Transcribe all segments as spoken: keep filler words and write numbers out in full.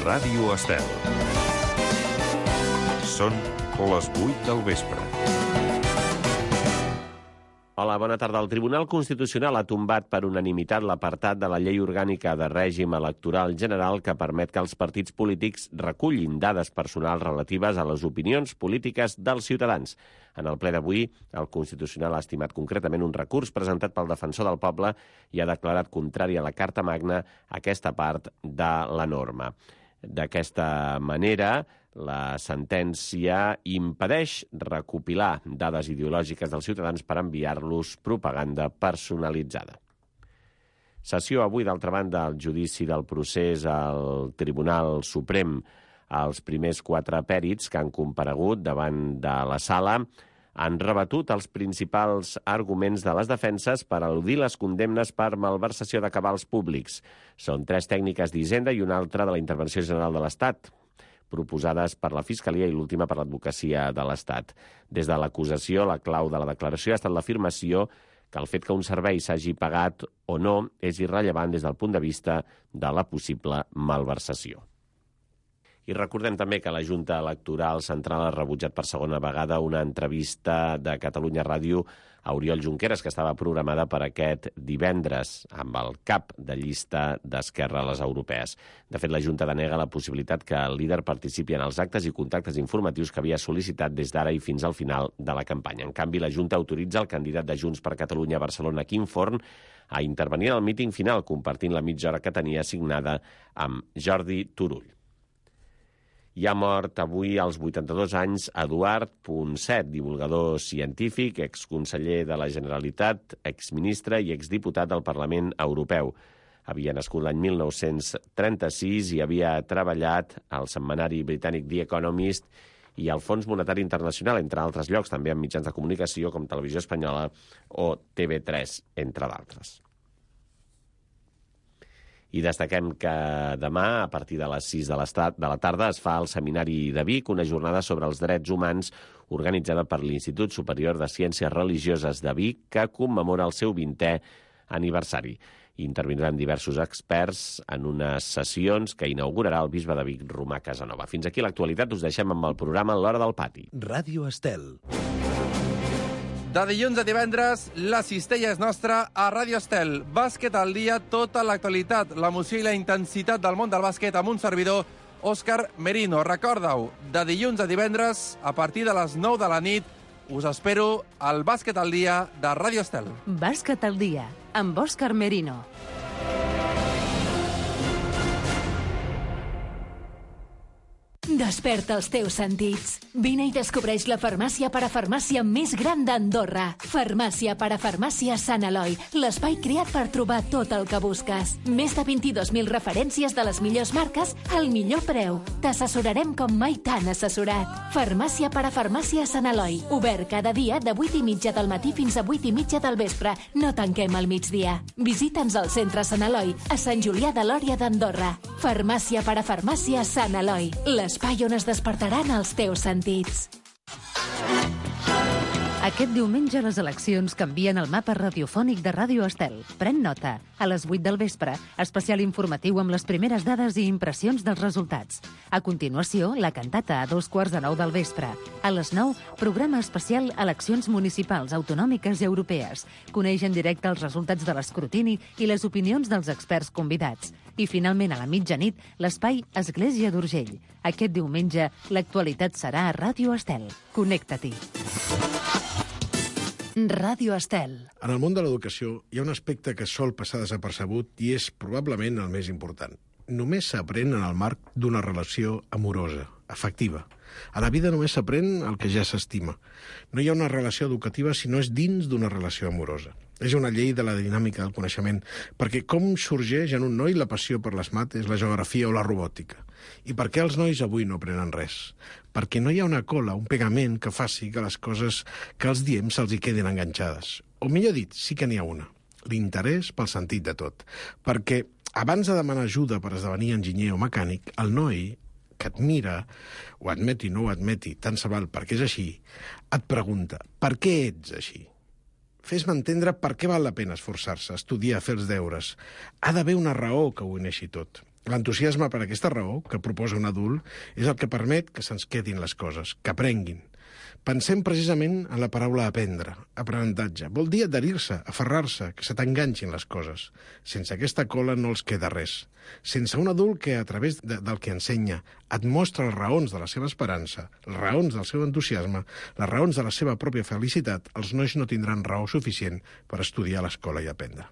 Ràdio Estel. Són les vuit del vespre. Hola, bona tarda. El Tribunal Constitucional ha tombat per unanimitat l'apartat de la Llei Orgànica de Règim Electoral General que permet que els partits polítics recullin dades personals relatives a les opinions polítiques dels ciutadans. En el ple d'avui, el Constitucional ha estimat concretament un recurs presentat pel Defensor del Poble i ha declarat contrari a la Carta Magna aquesta part de la norma. D'aquesta manera, la sentència impedeix recopilar dades ideològiques dels ciutadans per enviar-los propaganda personalitzada. Sessió avui, d'altra banda, el judici del procés al Tribunal Suprem. Els primers quatre pèrits que han comparegut davant de la sala han rebatut els principals arguments de les defenses per eludir les condemnes per malversació de cabals públics. Són tres tècniques d'Hisenda i una altra de la Intervenció General de l'Estat, proposades per la Fiscalia i l'última per l'Advocacia de l'Estat. Des de l'acusació, la clau de la declaració ha estat l'afirmació que el fet que un servei s'hagi pagat o no és irrellevant des del punt de vista de la possible malversació. I recordem també que la Junta Electoral Central ha rebutjat per segona vegada una entrevista de Catalunya Ràdio a Oriol Junqueras, que estava programada per aquest divendres amb el cap de llista d'Esquerra a les europees. De fet, la Junta denega la possibilitat que el líder participi en els actes i contactes informatius que havia sol·licitat des d'ara i fins al final de la campanya. En canvi, la Junta autoritza el candidat de Junts per Catalunya a Barcelona, Quim Forn, a intervenir en el míting final, compartint la mitja hora que tenia assignada amb Jordi Turull. Hi ha mort avui als vuitanta-dos anys Eduard Ponset, divulgador científic, exconseller de la Generalitat, exministre i exdiputat del Parlament Europeu. Havia nascut l'any mil nou-cents trenta-sis i havia treballat al setmanari britànic The Economist i al Fons Monetari Internacional, entre altres llocs, també en mitjans de comunicació com Televisió Espanyola o T V tres, entre d'altres. I destaquem que demà, a partir de les sis de la tarda, es fa al Seminari de Vic una jornada sobre els drets humans organitzada per l'Institut Superior de Ciències Religioses de Vic, que commemora el seu vintè aniversari. Intervindran diversos experts en unes sessions que inaugurarà el bisbe de Vic, Romà Casanova. Fins aquí l'actualitat, us deixem amb el programa L'Hora del Pati. Ràdio Estel. De dilluns a divendres, la cistella és nostra a Ràdio Estel. Bàsquet al dia, tota l'actualitat, l'emoció i la intensitat del món del bàsquet amb un servidor, Òscar Merino. Recorda-ho, de dilluns a divendres, a partir de les nou de la nit, us espero al Bàsquet al dia de Ràdio Estel. Bàsquet al dia, amb Òscar Merino. Desperta els teus sentits. Vine i descobreix la farmàcia parafarmàcia més gran d'Andorra. Farmàcia parafarmàcia Sant Eloi, l'espai creat per trobar tot el que busques. Més de vint-i-dos mil referències de les millors marques al millor preu. T'assessorarem com mai t'han assessorat. Farmàcia parafarmàcia Sant Eloi, obert cada dia de vuit i mitja del matí fins a vuit i mitja del vespre. No tanquem al migdia. Visita'ns al centre Sant Eloi, a Sant Julià de Lòria d'Andorra. Farmàcia parafarmàcia Sant Eloi, l'espai on es despertaran els teus sentits. Aquest diumenge les eleccions canvien el mapa radiofònic de Ràdio Estel. Pren nota. A les vuit del vespre, especial informatiu amb les primeres dades i impressions dels resultats. A continuació, la cantata a dos quarts de nou del vespre. A les nou, programa especial Eleccions municipals, autonòmiques i europees. Coneix en directe els resultats de l'escrutini i les opinions dels experts convidats. I finalment, a la mitjanit, l'espai Església d'Urgell. Aquest diumenge, l'actualitat serà a Ràdio Estel. Connecta-t'hi. Ràdio Estel. En el món de l'educació hi ha un aspecte que sol passar desapercebut i és probablement el més important. Només s'aprèn en el marc d'una relació amorosa, afectiva. A la vida només s'aprèn el que ja s'estima. No hi ha una relació educativa si no és dins d'una relació amorosa. És una llei de la dinàmica del coneixement, perquè com sorgeix en un noi la passió per les mates, la geografia o la robòtica? I per què els nois avui no aprenen res? Perquè no hi ha una cola, un pegament que faci que les coses que els diem se'ls hi quedin enganxades. O millor dit, sí que n'hi ha una. L'interès pel sentit de tot. Perquè abans de demanar ajuda per esdevenir enginyer o mecànic, el noi que et mira, ho admeti o no ho admeti, tant se val perquè és així, et pregunta, per què ets així? Fes-me entendre per què val la pena esforçar-se, estudiar, fer els deures. Ha d'haver una raó que ho uneixi tot. L'entusiasme per aquesta raó, que proposa un adult, és el que permet que se'ns quedin les coses, que aprenguin. Pensem precisament en la paraula aprendre, aprenentatge. Vol dir adherir-se, aferrar-se, que se t'enganxin les coses. Sense aquesta cola no els queda res. Sense un adult que, a través de, del que ensenya, et mostra les raons de la seva esperança, les raons del seu entusiasme, les raons de la seva pròpia felicitat, els nois no tindran raó suficient per estudiar a l'escola i aprendre.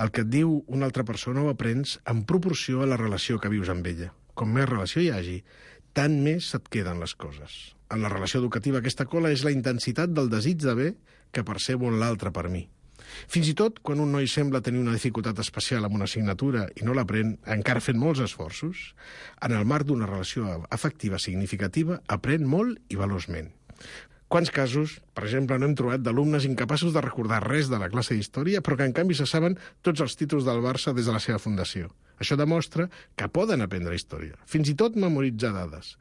El que et diu una altra persona ho aprens en proporció a la relació que vius amb ella. Com més relació hi hagi, tant més se't queden les coses. En la relació educativa aquesta cola és la intensitat del desig de bé que percebo en l'altre per mi. Fins i tot, quan un noi sembla tenir una dificultat especial amb una assignatura i no l'aprèn, encara fent molts esforços, en el marc d'una relació afectiva significativa, aprèn molt i veloçment. Quants casos, per exemple, no hem trobat d'alumnes incapaços de recordar res de la classe d'història, però que en canvi se saben tots els títols del Barça des de la seva fundació. Això demostra que poden aprendre història, fins i tot memoritzar dades.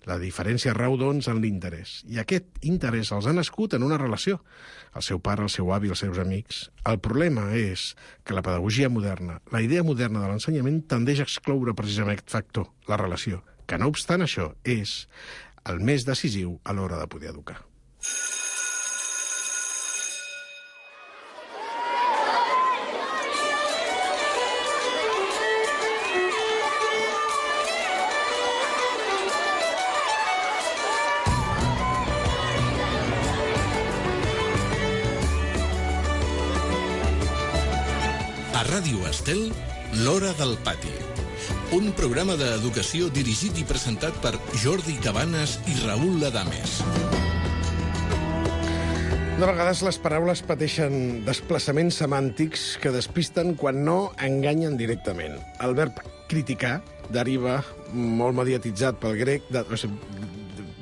La diferència rau, doncs, en l'interès. I aquest interès els ha nascut en una relació. El seu pare, el seu avi, els seus amics. El problema és que la pedagogia moderna, la idea moderna de l'ensenyament, tendeix a excloure precisament aquest factor, la relació, que no obstant això és el més decisiu a l'hora de poder educar. A Ràdio Estel, l'Hora del Pati. Un programa d'educació dirigit i presentat per Jordi Cabanes i Raül Adames. De vegades les paraules pateixen desplaçaments semàntics que despisten quan no enganyen directament. El verb criticar deriva, molt mediatitzat pel grec, de, o sigui,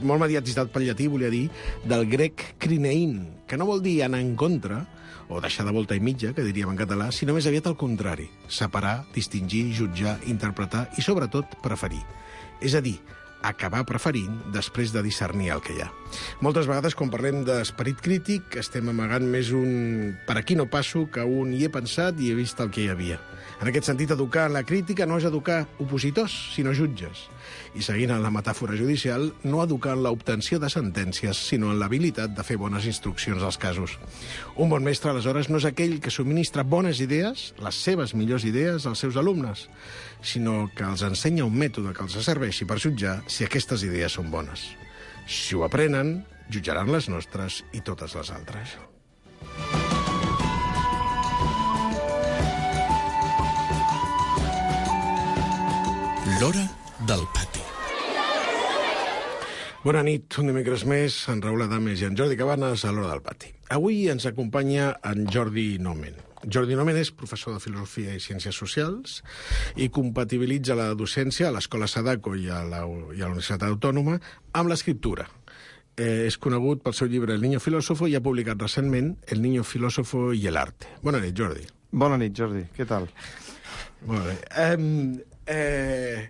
molt mediatitzat pel llatí, volia dir, del grec crinein, que no vol dir anar en contra, o deixar de volta i mitja, que diríem en català, sinó més aviat al contrari, separar, distingir, jutjar, interpretar i, sobretot, preferir. És a dir, acabar preferint després de discernir el que hi ha. Moltes vegades, quan parlem d'esperit crític, estem amagant més un per aquí no passo que un hi he pensat i he vist el que hi havia. En aquest sentit, educar en la crítica no és educar opositors, sinó jutges. I seguint en la metàfora judicial, no educar en l'obtenció de sentències, sinó en l'habilitat de fer bones instruccions als casos. Un bon mestre, aleshores, no és aquell que subministra bones idees, les seves millors idees, als seus alumnes, sinó que els ensenya un mètode que els serveixi per jutjar si aquestes idees són bones. Si ho aprenen, jutjaran les nostres i totes les altres. L'Hora del Pati. Bona nit, un dimecres més, en Raül Adames i en Jordi Cabanes a l'Hora del Pati. Avui ens acompanya en Jordi Nomen. Jordi Nomen és professor de Filosofia i Ciències Socials i compatibilitza la docència a l'Escola Sadako i a la, i a la Universitat Autònoma amb l'escriptura. Eh, és conegut pel seu llibre El niño filósofo i ha publicat recentment El niño filósofo y el arte. Bona nit, Jordi. Bona nit, Jordi. Què tal? Molt bé. Eh, eh,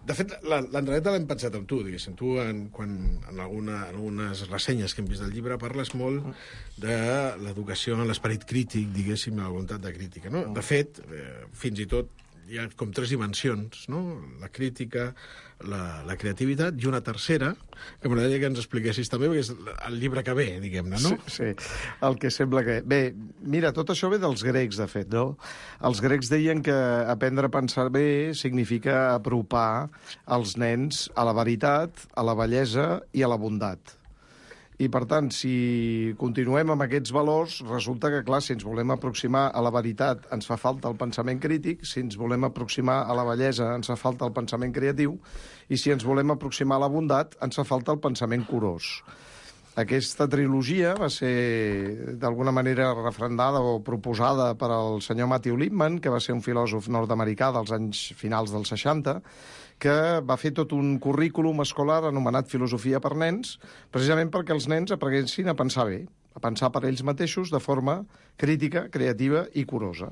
de fet, l'entreneta l'hem pensat amb tu, diguéssim. Tu, en, quan, en, alguna, en algunes ressenyes que hem vist del llibre, parles molt de l'educació en l'esperit crític, diguéssim, la voluntat de crítica. No? De fet, eh, fins i tot, hi ha com tres dimensions, no? La crítica, la, la creativitat i una tercera, que m'agradaria que ens expliquessis també, perquè és el llibre que ve, diguem-ne, no? Sí, sí, el que sembla que... Bé, mira, tot això ve dels grecs, de fet, no? Els grecs deien que aprendre a pensar bé significa apropar els nens a la veritat, a la bellesa i a la bondat. I, per tant, si continuem amb aquests valors, resulta que, clar, si ens volem aproximar a la veritat ens fa falta el pensament crític, si ens volem aproximar a la bellesa ens fa falta el pensament creatiu, i si ens volem aproximar a la bondat ens fa falta el pensament curós. Aquesta trilogia va ser, d'alguna manera, refrendada o proposada per al senyor Matthew Lipman, que va ser un filòsof nord-americà dels anys finals dels seixanta, que va fer tot un currículum escolar anomenat Filosofia per nens, precisament perquè els nens aprenguessin a pensar bé, a pensar per ells mateixos de forma crítica, creativa i curosa.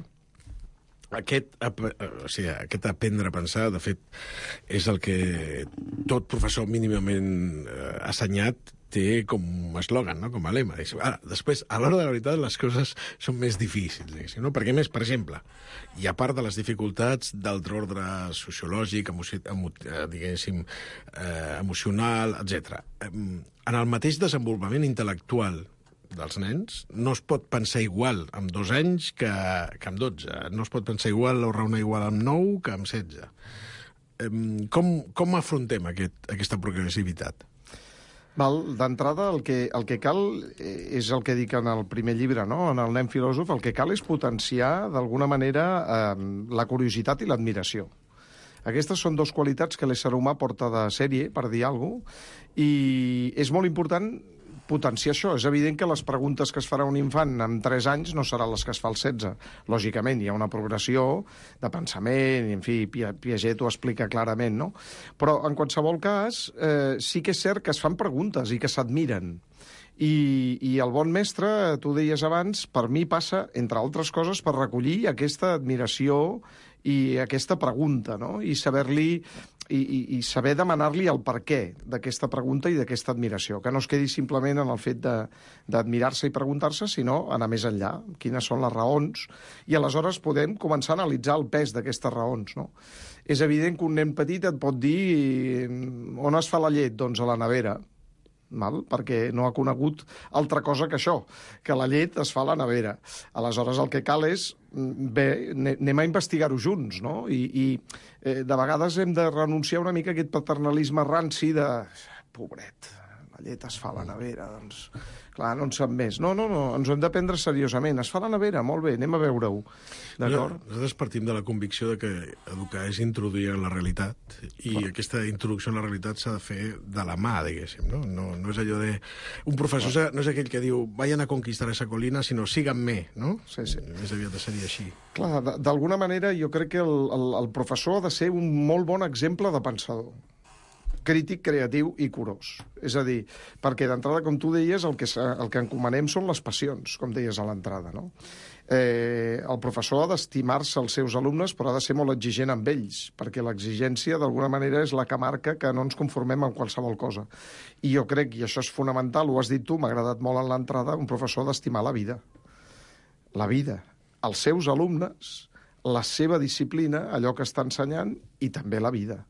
Aquest, o sigui, aquest aprendre a pensar, de fet, és el que tot professor mínimament assenyat té com un eslògan, no? Com a lema. Ara, després, a l'hora de la veritat, les coses són més difícils, diguéssim, no? Perquè, més, per exemple, i a part de les dificultats d'altre ordre sociològic, emoci... emo... diguéssim, eh, emocional, etcètera, en el mateix desenvolupament intel·lectual dels nens no es pot pensar igual amb dos anys que, que amb dotze. No es pot pensar igual o raonar igual amb nou que amb setze. Com, com afrontem aquest, aquesta progressivitat? D'entrada, el, que, el que cal és el que dic en el primer llibre, no? En el nen filòsof, el que cal és potenciar, d'alguna manera, eh, la curiositat i l'admiració. Aquestes són dues qualitats que l'ésser humà porta de sèrie, per dir alguna cosa, i és molt important potenciar això. És evident que les preguntes que es farà un infant amb tres anys no seran les que es fa als setze. Lògicament, hi ha una progressió de pensament, i, en fi, Piaget ho explica clarament, no? Però, en qualsevol cas, eh, sí que és cert que es fan preguntes i que s'admiren. I, I el bon mestre, tu deies abans, per mi passa, entre altres coses, per recollir aquesta admiració i aquesta pregunta, no? I saber-li i, i, i saber demanar-li el per què d'aquesta pregunta i d'aquesta admiració, que no es quedi simplement en el fet d'admirar-se i preguntar-se, sinó anar més enllà, quines són les raons, i aleshores podem començar a analitzar el pes d'aquestes raons, no? És evident que un nen petit et pot dir on es fa la llet? Doncs a la nevera. Val? Perquè no ha conegut altra cosa que això, que la llet es fa a la nevera. Aleshores, el que cal és, bé, anem a investigar-ho junts, no? I, i eh, de vegades hem de renunciar una mica a aquest paternalisme ranci de... Pobret, la llet es fa a la nevera, doncs... Clar, no en sap més. No, no, no, ens ho hem de prendre seriosament. Es fa a la nevera, molt bé, anem a veure-ho. D'acord? Nosaltres partim de la convicció de que educar és introduir en la realitat, i Clar. Aquesta introducció en la realitat s'ha de fer de la mà, diguéssim, no? No, no és allò de... Un professor Clar. no és aquell que diu vayan a conquistar esa colina, sinó síganme, no? Sí, sí. Més aviat seria així. Clar, d'alguna manera jo crec que el, el, el professor ha de ser un molt bon exemple de pensador, crític, creatiu i curós. És a dir, perquè d'entrada, com tu deies, el que, el que encomanem són les passions, com deies a l'entrada, no? Eh, el professor ha d'estimar-se els seus alumnes, però ha de ser molt exigent amb ells, perquè l'exigència, d'alguna manera, és la que marca que no ens conformem amb qualsevol cosa. I jo crec, i això és fonamental, ho has dit tu, m'ha agradat molt en l'entrada, un professor ha d'estimar la vida. La vida. Els seus alumnes, la seva disciplina, allò que està ensenyant, i també la vida.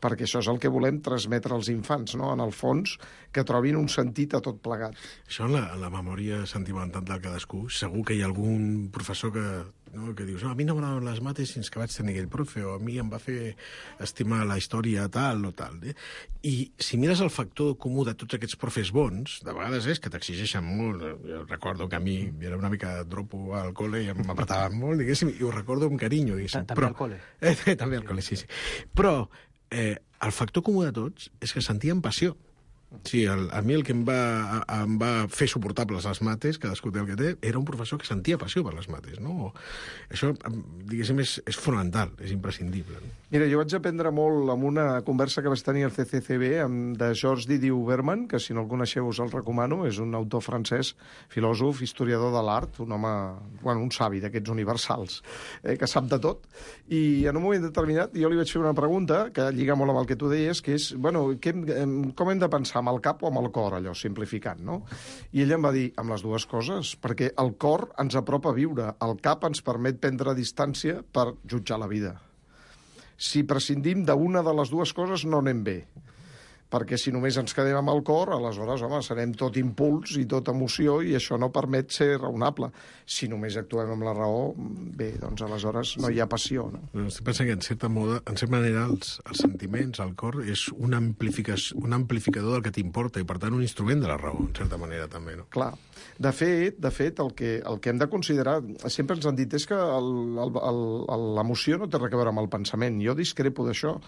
Perquè això és el que volem transmetre als infants, no? En el fons, que trobin un sentit a tot plegat. Això en la, en la memòria sentimental de cadascú, segur que hi ha algun professor que, no, que dius, no, a mi no m'agraden les mates fins que vaig tenir aquell profe, o a mi em va fer estimar la història tal o tal. Eh? I si mires el factor comú de tots aquests profes bons, de vegades és que t'exigeixen molt. Jo recordo que a mi era una mica dropo al col·le i m'apretaven molt, diguéssim, i ho recordo amb carinyo, diguéssim. També al col·le? Eh, també al col·le, sí, sí. Però Eh, el factor comú de tots és que sentien passió. Sí, el, a mi el que em va, em va fer suportables les mates, cadascú té el que té, era un professor que sentia passió per les mates, no? Això, diguéssim, és, és fonamental, és imprescindible. No? Mira, jo vaig aprendre molt amb una conversa que vaig tenir al C C C B amb, de Georges Didier Berman, que si no el coneixeu us el recomano, és un autor francès, filòsof, historiador de l'art, un home, bueno, un savi d'aquests universals, eh, que sap de tot, i en un moment determinat jo li vaig fer una pregunta que lliga molt amb el que tu deies, que és, bueno, que, com hem de pensar, amb el cap o amb el cor, allò, simplificant, no? I ella em va dir, amb les dues coses, perquè el cor ens apropa a viure, el cap ens permet prendre distància per jutjar la vida. Si prescindim d'una de les dues coses, no anem bé. Perquè si només ens quedem amb el cor, aleshores, home, serem tot impuls i tot emoció i això no permet ser raonable. Si només actuem amb la raó, bé, doncs aleshores no hi ha passió, no? Estic pensant que, en certa, moda, en certa manera, els, els sentiments, el cor, és un, un amplificador del que t'importa i, per tant, un instrument de la raó, en certa manera, també, no? Clar. De fet, de fet el, que, el que hem de considerar, sempre ens han dit, és que l'emoció no té res a veure amb el pensament. Jo discrepo d'això.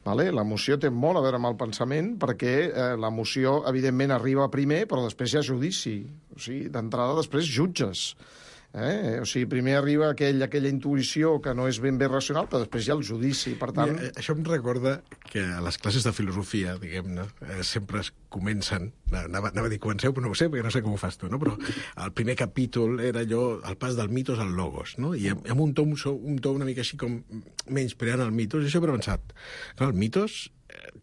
Vale? L'emoció té molt a veure amb el pensament perquè eh, l'emoció, evidentment, arriba primer, però després hi ha judici. O sigui, d'entrada, després jutges. Eh? O sigui, primer arriba aquell, aquella intuïció que no és ben bé racional, però després hi ha el judici. Per tant... Mira, això em recorda que a les classes de filosofia, diguem-ne, eh, sempre es comencen, anava, anava a dir comenceu, però no ho sé, perquè no sé com ho fas tu, no? Però el primer capítol era allò, el pas del mitos al logos, no? I amb un to, un to una mica així com menyspreant el mitos, i això he pensat. Clar, el mitos,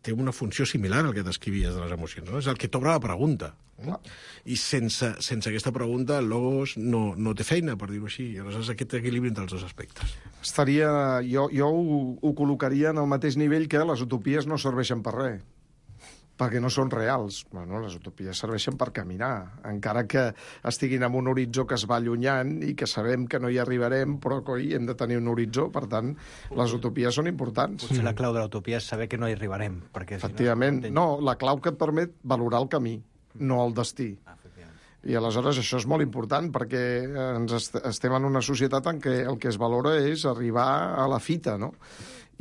té una funció similar al que descrivies de les emocions, no? És el que t'obre la pregunta. No? I sense, sense aquesta pregunta el logos no, no té feina, per dir-ho així. I aleshores aquest equilibri entre els dos aspectes. Estaria... Jo, jo ho, ho col·locaria en el mateix nivell que les utopies no serveixen per res, perquè no són reals. Bueno, les utopies serveixen per caminar, encara que estiguin en un horitzó que es va allunyant i que sabem que no hi arribarem, però coi, hem de tenir un horitzó, per tant, les utopies són importants. Potser la clau de l'utopia és saber que no hi arribarem. Perquè, efectivament. Si no, no, la clau que et permet valorar el camí, no el destí. Ah, I aleshores això és molt important, perquè ens est estem en una societat en què el que es valora és arribar a la fita, no?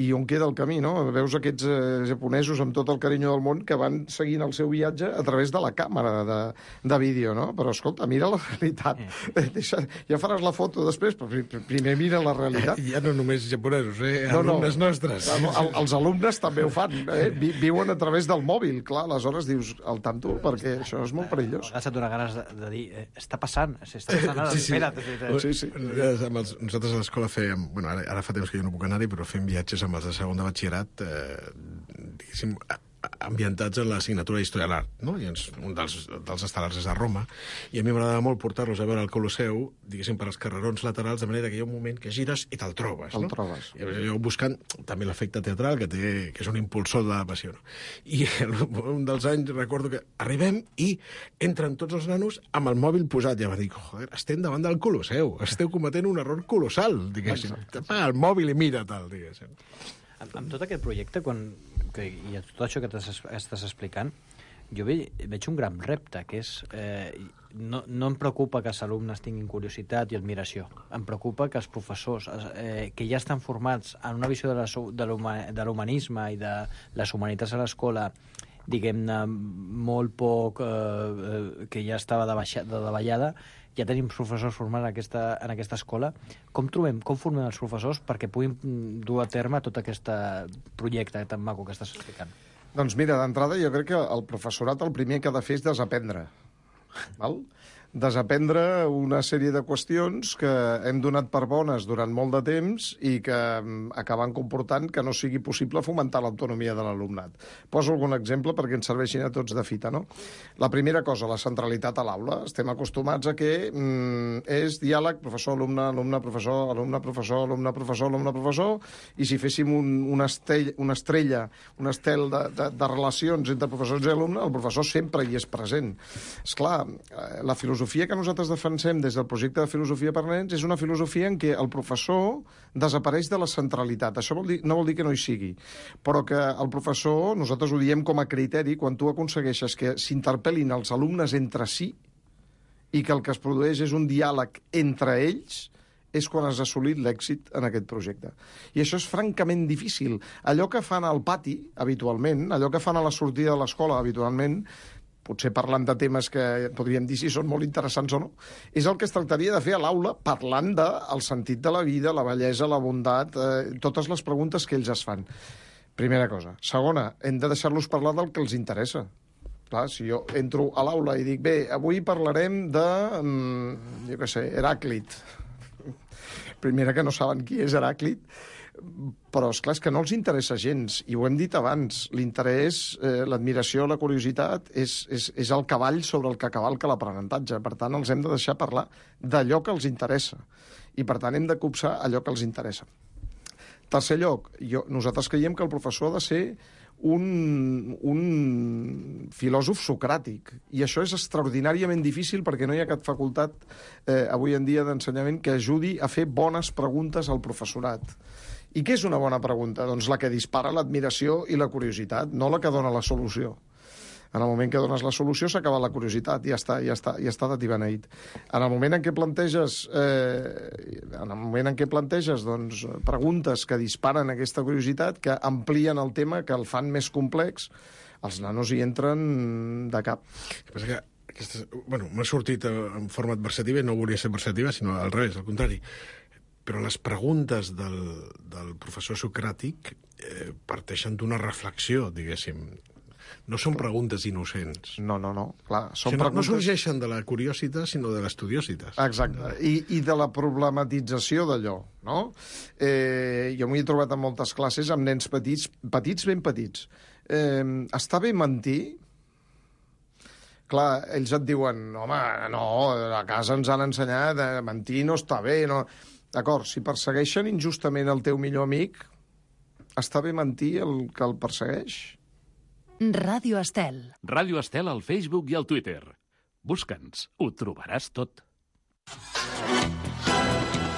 I on queda el camí, no? Veus aquests eh, japonesos amb tot el carinyo del món que van seguint el seu viatge a través de la càmera de, de vídeo, no? Però, escolta, mira la realitat. Eh. Deixa, ja faràs la foto després, però primer mira la realitat. Ja no només japonesos, eh? No, alumnes no. nostres. El, els alumnes també ho fan, eh? Vi, viuen a través del mòbil, clar, aleshores dius al tanto, perquè això és molt perillós. A vegades et dona ganes de, de dir, eh, està passant, està passant ara, sí, sí. espera't. Sí, sí. Nosaltres a l'escola fèiem... Bueno, ara, ara fa temps que jo no puc anar-hi, però fem viatges amb els de segon de batxillerat, eh, diguéssim, ambientats en l'assignatura d'Història de l'Art, no? I ens, un dels, dels estel·lars és a Roma, i a mi m'agradava molt portar-los a veure el Colosseu, diguéssim, per als carrerons laterals, de manera que hi ha un moment que gires i te'l trobes, el no? trobes. I jo buscant també l'efecte teatral, que, té, que és un impulsor de la passió, no? I un dels anys recordo que arribem i entren tots els nanos amb el mòbil posat, i ja va dir, joder, estem davant del Colosseu, esteu cometent un error colossal, diguéssim. Apaga el mòbil i mira tal, diguéssim. Amb, amb tot aquest projecte, quan, que, i tot això que estàs explicant, jo ve, veig un gran repte, que és... Eh, no, no em preocupa que els alumnes tinguin curiositat i admiració. Em preocupa que els professors, eh, que ja estan formats en una visió de l'humanisme i de les humanitats a l'escola, diguem-ne, molt poc... Eh, que ja estava de, baixa, de davallada, ja tenim professors formats en aquesta, en aquesta escola. Com trobem, com formem els professors perquè puguin dur a terme tot aquest projecte tan maco que estàs explicant? Doncs mira, d'entrada jo crec que el professorat el primer que ha de fer és desaprendre. Val? Desaprendre una sèrie de qüestions que hem donat per bones durant molt de temps i que acaben comportant que no sigui possible fomentar l'autonomia de l'alumnat. Poso algun exemple perquè ens serveixin a tots de fita, no? La primera cosa, la centralitat a l'aula. Estem acostumats a que mm, és diàleg professor-alumne, alumne-professor, alumne-professor, alumne-professor, alumne-professor, i si féssim un, una, estell, una estrella, un estel de, de, de relacions entre professors i alumne, el professor sempre hi és present. Esclar, la filosofia La filosofia que nosaltres defensem des del projecte de Filosofia per Nens és una filosofia en què el professor desapareix de la centralitat. Això vol dir, no vol dir que no hi sigui, però que el professor, nosaltres ho diem com a criteri, quan tu aconsegueixes que s'interpel·lin els alumnes entre si i que el que es produeix és un diàleg entre ells, és quan has assolit l'èxit en aquest projecte. I això és francament difícil. Allò que fan al pati, habitualment, allò que fan a la sortida de l'escola, habitualment, potser parlant de temes que podríem dir si són molt interessants o no, és el que es tractaria de fer a l'aula, parlant del sentit de la vida, la bellesa, la bondat, eh, totes les preguntes que ells es fan. Primera cosa. Segona, hem de deixar-los parlar del que els interessa. Clar, si jo entro a l'aula i dic, bé, avui parlarem de, jo què sé, Heràclit. Primera, que no saben qui és Heràclit, però, esclar, és que no els interessa gens, i ho hem dit abans, l'interès, eh, l'admiració, la curiositat, és, és, és el cavall sobre el que cavalca l'aprenentatge. Per tant, els hem de deixar parlar d'allò que els interessa, i per tant hem de copsar allò que els interessa. Tercer lloc, jo, nosaltres creiem que el professor ha de ser un, un filòsof socràtic, i això és extraordinàriament difícil perquè no hi ha cap facultat eh, avui en dia d'ensenyament que ajudi a fer bones preguntes al professorat. I què és una bona pregunta? Doncs la que dispara l'admiració i la curiositat, no la que dona la solució. En el moment que dones la solució s'acaba la curiositat, ja està, ja està, ja està de tibeneït. En el moment en què planteges, eh, en el moment en què planteges doncs, preguntes que disparen aquesta curiositat, que amplien el tema, que el fan més complex, els nanos hi entren de cap. El que passa que aquesta, bueno, m'ha sortit en forma adversativa i no volia ser adversativa, sinó al revés, al contrari. Però les preguntes del, del professor socràtic eh, parteixen d'una reflexió, diguéssim. No són preguntes innocents. No, no, no. Clar, són o sigui, no, preguntes... no sorgeixen de la curiositat, sinó de l'estudiositat. Exacte. I, I de la problematització d'allò, no? Eh, jo m'hi he trobat en moltes classes amb nens petits, petits ben petits, eh, està bé mentir? Clar, ells et diuen, home, no, a casa ens han ensenyat, eh, mentir no està bé, no... D'acord, si persegueixen injustament el teu millor amic, està bé mentir el que el persegueix? Ràdio Estel. Ràdio Estel al Facebook i al Twitter. Busca'ns, ho trobaràs tot.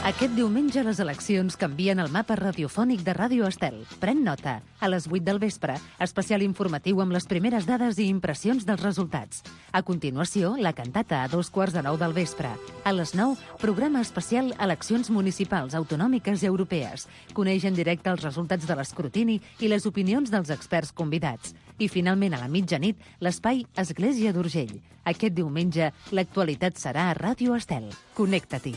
Aquest diumenge les eleccions canvien el mapa radiofònic de Ràdio Estel. Pren nota. A les vuit del vespre, especial informatiu amb les primeres dades i impressions dels resultats. A continuació, la cantata a dos quarts de nou del vespre. A les nou, programa especial Eleccions municipals, autonòmiques i europees. Coneix en directe els resultats de l'escrutini i les opinions dels experts convidats. I finalment, a la mitjanit, l'espai Església d'Urgell. Aquest diumenge, l'actualitat serà a Ràdio Estel. Connecta-t'hi.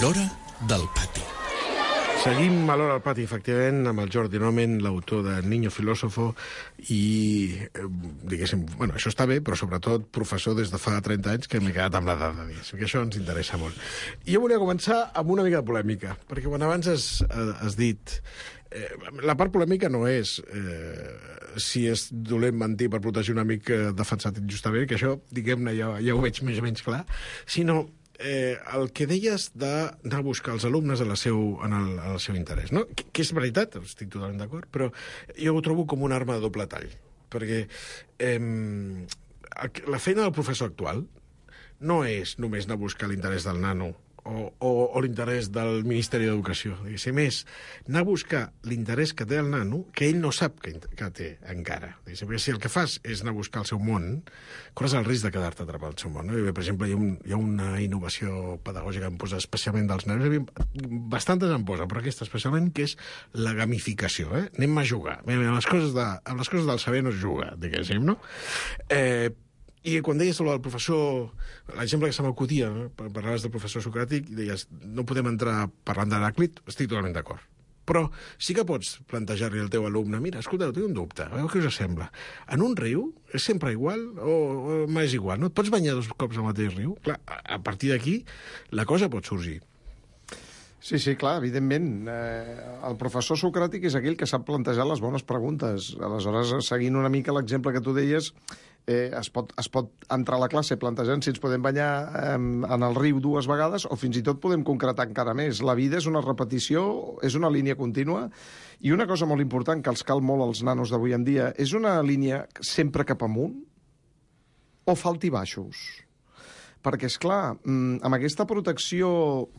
L'hora del pati. Seguim a l'hora del pati, efectivament, amb el Jordi Nomen, l'autor de Niño Filósofo, i, eh, diguéssim, bueno, això està bé, però sobretot professor des de fa trenta anys, que m'he quedat amb l'edat de diguéssim, que això ens interessa molt. I jo volia començar amb una mica de polèmica, perquè quan abans has, has dit... Eh, la part polèmica no és eh, si és dolent mentir per protegir un amic defensat injustament, que això, diguem-ne, ja, ja ho veig més o menys clar, sinó eh, el que deies d'anar a buscar els alumnes en, la seu, en, el, en el seu interès, no? Que, que és veritat, estic totalment d'acord, però jo ho trobo com una arma de doble tall, perquè eh, la feina del professor actual no és només anar a buscar l'interès del nano o, o, o l'interès del Ministeri d'Educació, diguéssim, és anar a buscar l'interès que té el nano, que ell no sap que, que té encara. Diguéssim, perquè si el que fas és anar a buscar el seu món, corres el risc de quedar-te atrapat al seu món. No? I, per exemple, hi ha, un, hi ha una innovació pedagògica que em posa especialment dels nens, bastantes em posa, però aquesta especialment, que és la gamificació. Eh? Anem a jugar. Amb les coses, de, amb les coses del saber no es juga, diguéssim, no? Eh, I quan deies el professor, l'exemple que se m'acudia, no? Parlaves del professor socràtic i deies, no podem entrar parlant d'Heràclit, estic totalment d'acord. Però sí que pots plantejar-li al teu alumne, mira, escolta, tinc un dubte, a veure què us sembla. En un riu és sempre igual o, o m'és igual? No et pots banyar dos cops al mateix riu? Clar, a partir d'aquí la cosa pot sorgir. Sí, sí, clar, evidentment. Eh, el professor socràtic és aquell que sap plantejar les bones preguntes. Aleshores, seguint una mica l'exemple que tu deies, eh, es, pot, es pot entrar a la classe plantejant si ens podem banyar eh, en el riu dues vegades o fins i tot podem concretar encara més. La vida és una repetició, és una línia contínua, i una cosa molt important que els cal molt als nanos d'avui en dia, és una línia sempre cap amunt o fa altibaixos? Perquè, és clar, amb aquesta protecció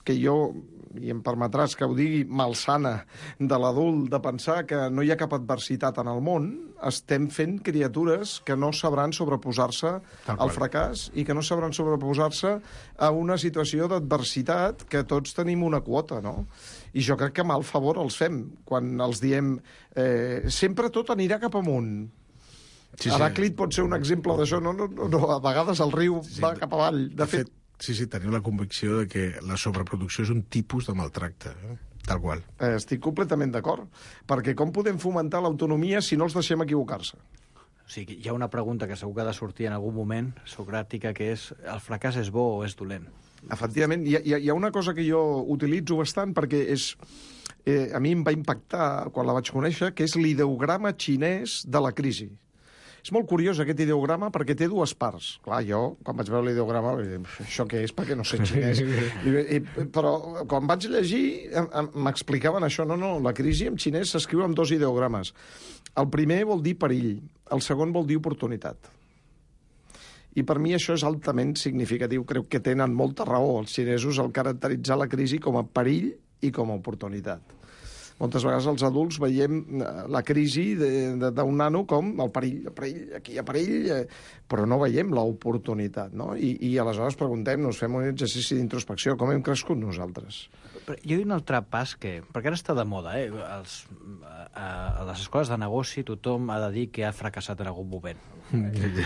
que jo, i em permetràs que ho digui, malsana de l'adult, de pensar que no hi ha cap adversitat en el món, estem fent criatures que no sabran sobreposar-se al fracàs i que no sabran sobreposar-se a una situació d'adversitat que tots tenim una quota, no? I jo crec que mal favor els fem quan els diem eh, sempre tot anirà cap amunt. Sí, sí. Heràclit pot ser un exemple d'això, no, no, no, a vegades el riu sí, sí, va cap avall. De, de fet, fet, sí, sí, tenim la convicció de que la sobreproducció és un tipus de maltracte, eh? Tal qual. Eh, estic completament d'acord, perquè com podem fomentar l'autonomia si no els deixem equivocar-se? O sigui, hi ha una pregunta que segur que ha de sortir en algun moment, socràtica, que és, el fracàs és bo o és dolent? Efectivament, hi ha, hi ha una cosa que jo utilitzo bastant perquè és... Eh, a mi em va impactar quan la vaig conèixer, que és l'ideograma xinès de la crisi. És molt curiós aquest ideograma perquè té dues parts. Clar, jo, quan vaig veure l'ideograma, això què és? Perquè no sé xinès. I, i, però quan vaig llegir, m'explicaven això. No, no, la crisi en xinès s'escriu amb dos ideogrames. El primer vol dir perill, el segon vol dir oportunitat. I per mi això és altament significatiu. Crec que tenen molta raó els xinesos al caracteritzar la crisi com a perill i com a oportunitat. Moltes vegades els adults veiem la crisi d'un nano com el perill, el perill, aquí hi ha perill, eh, però no veiem l'oportunitat, no? I, i aleshores preguntem-nos, fem un exercici d'introspecció, com hem crescut nosaltres? Però hi ha un altre pas que... Perquè ara està de moda, eh? Els, a, a les escoles de negoci tothom ha de dir que ha fracassat en algun moment.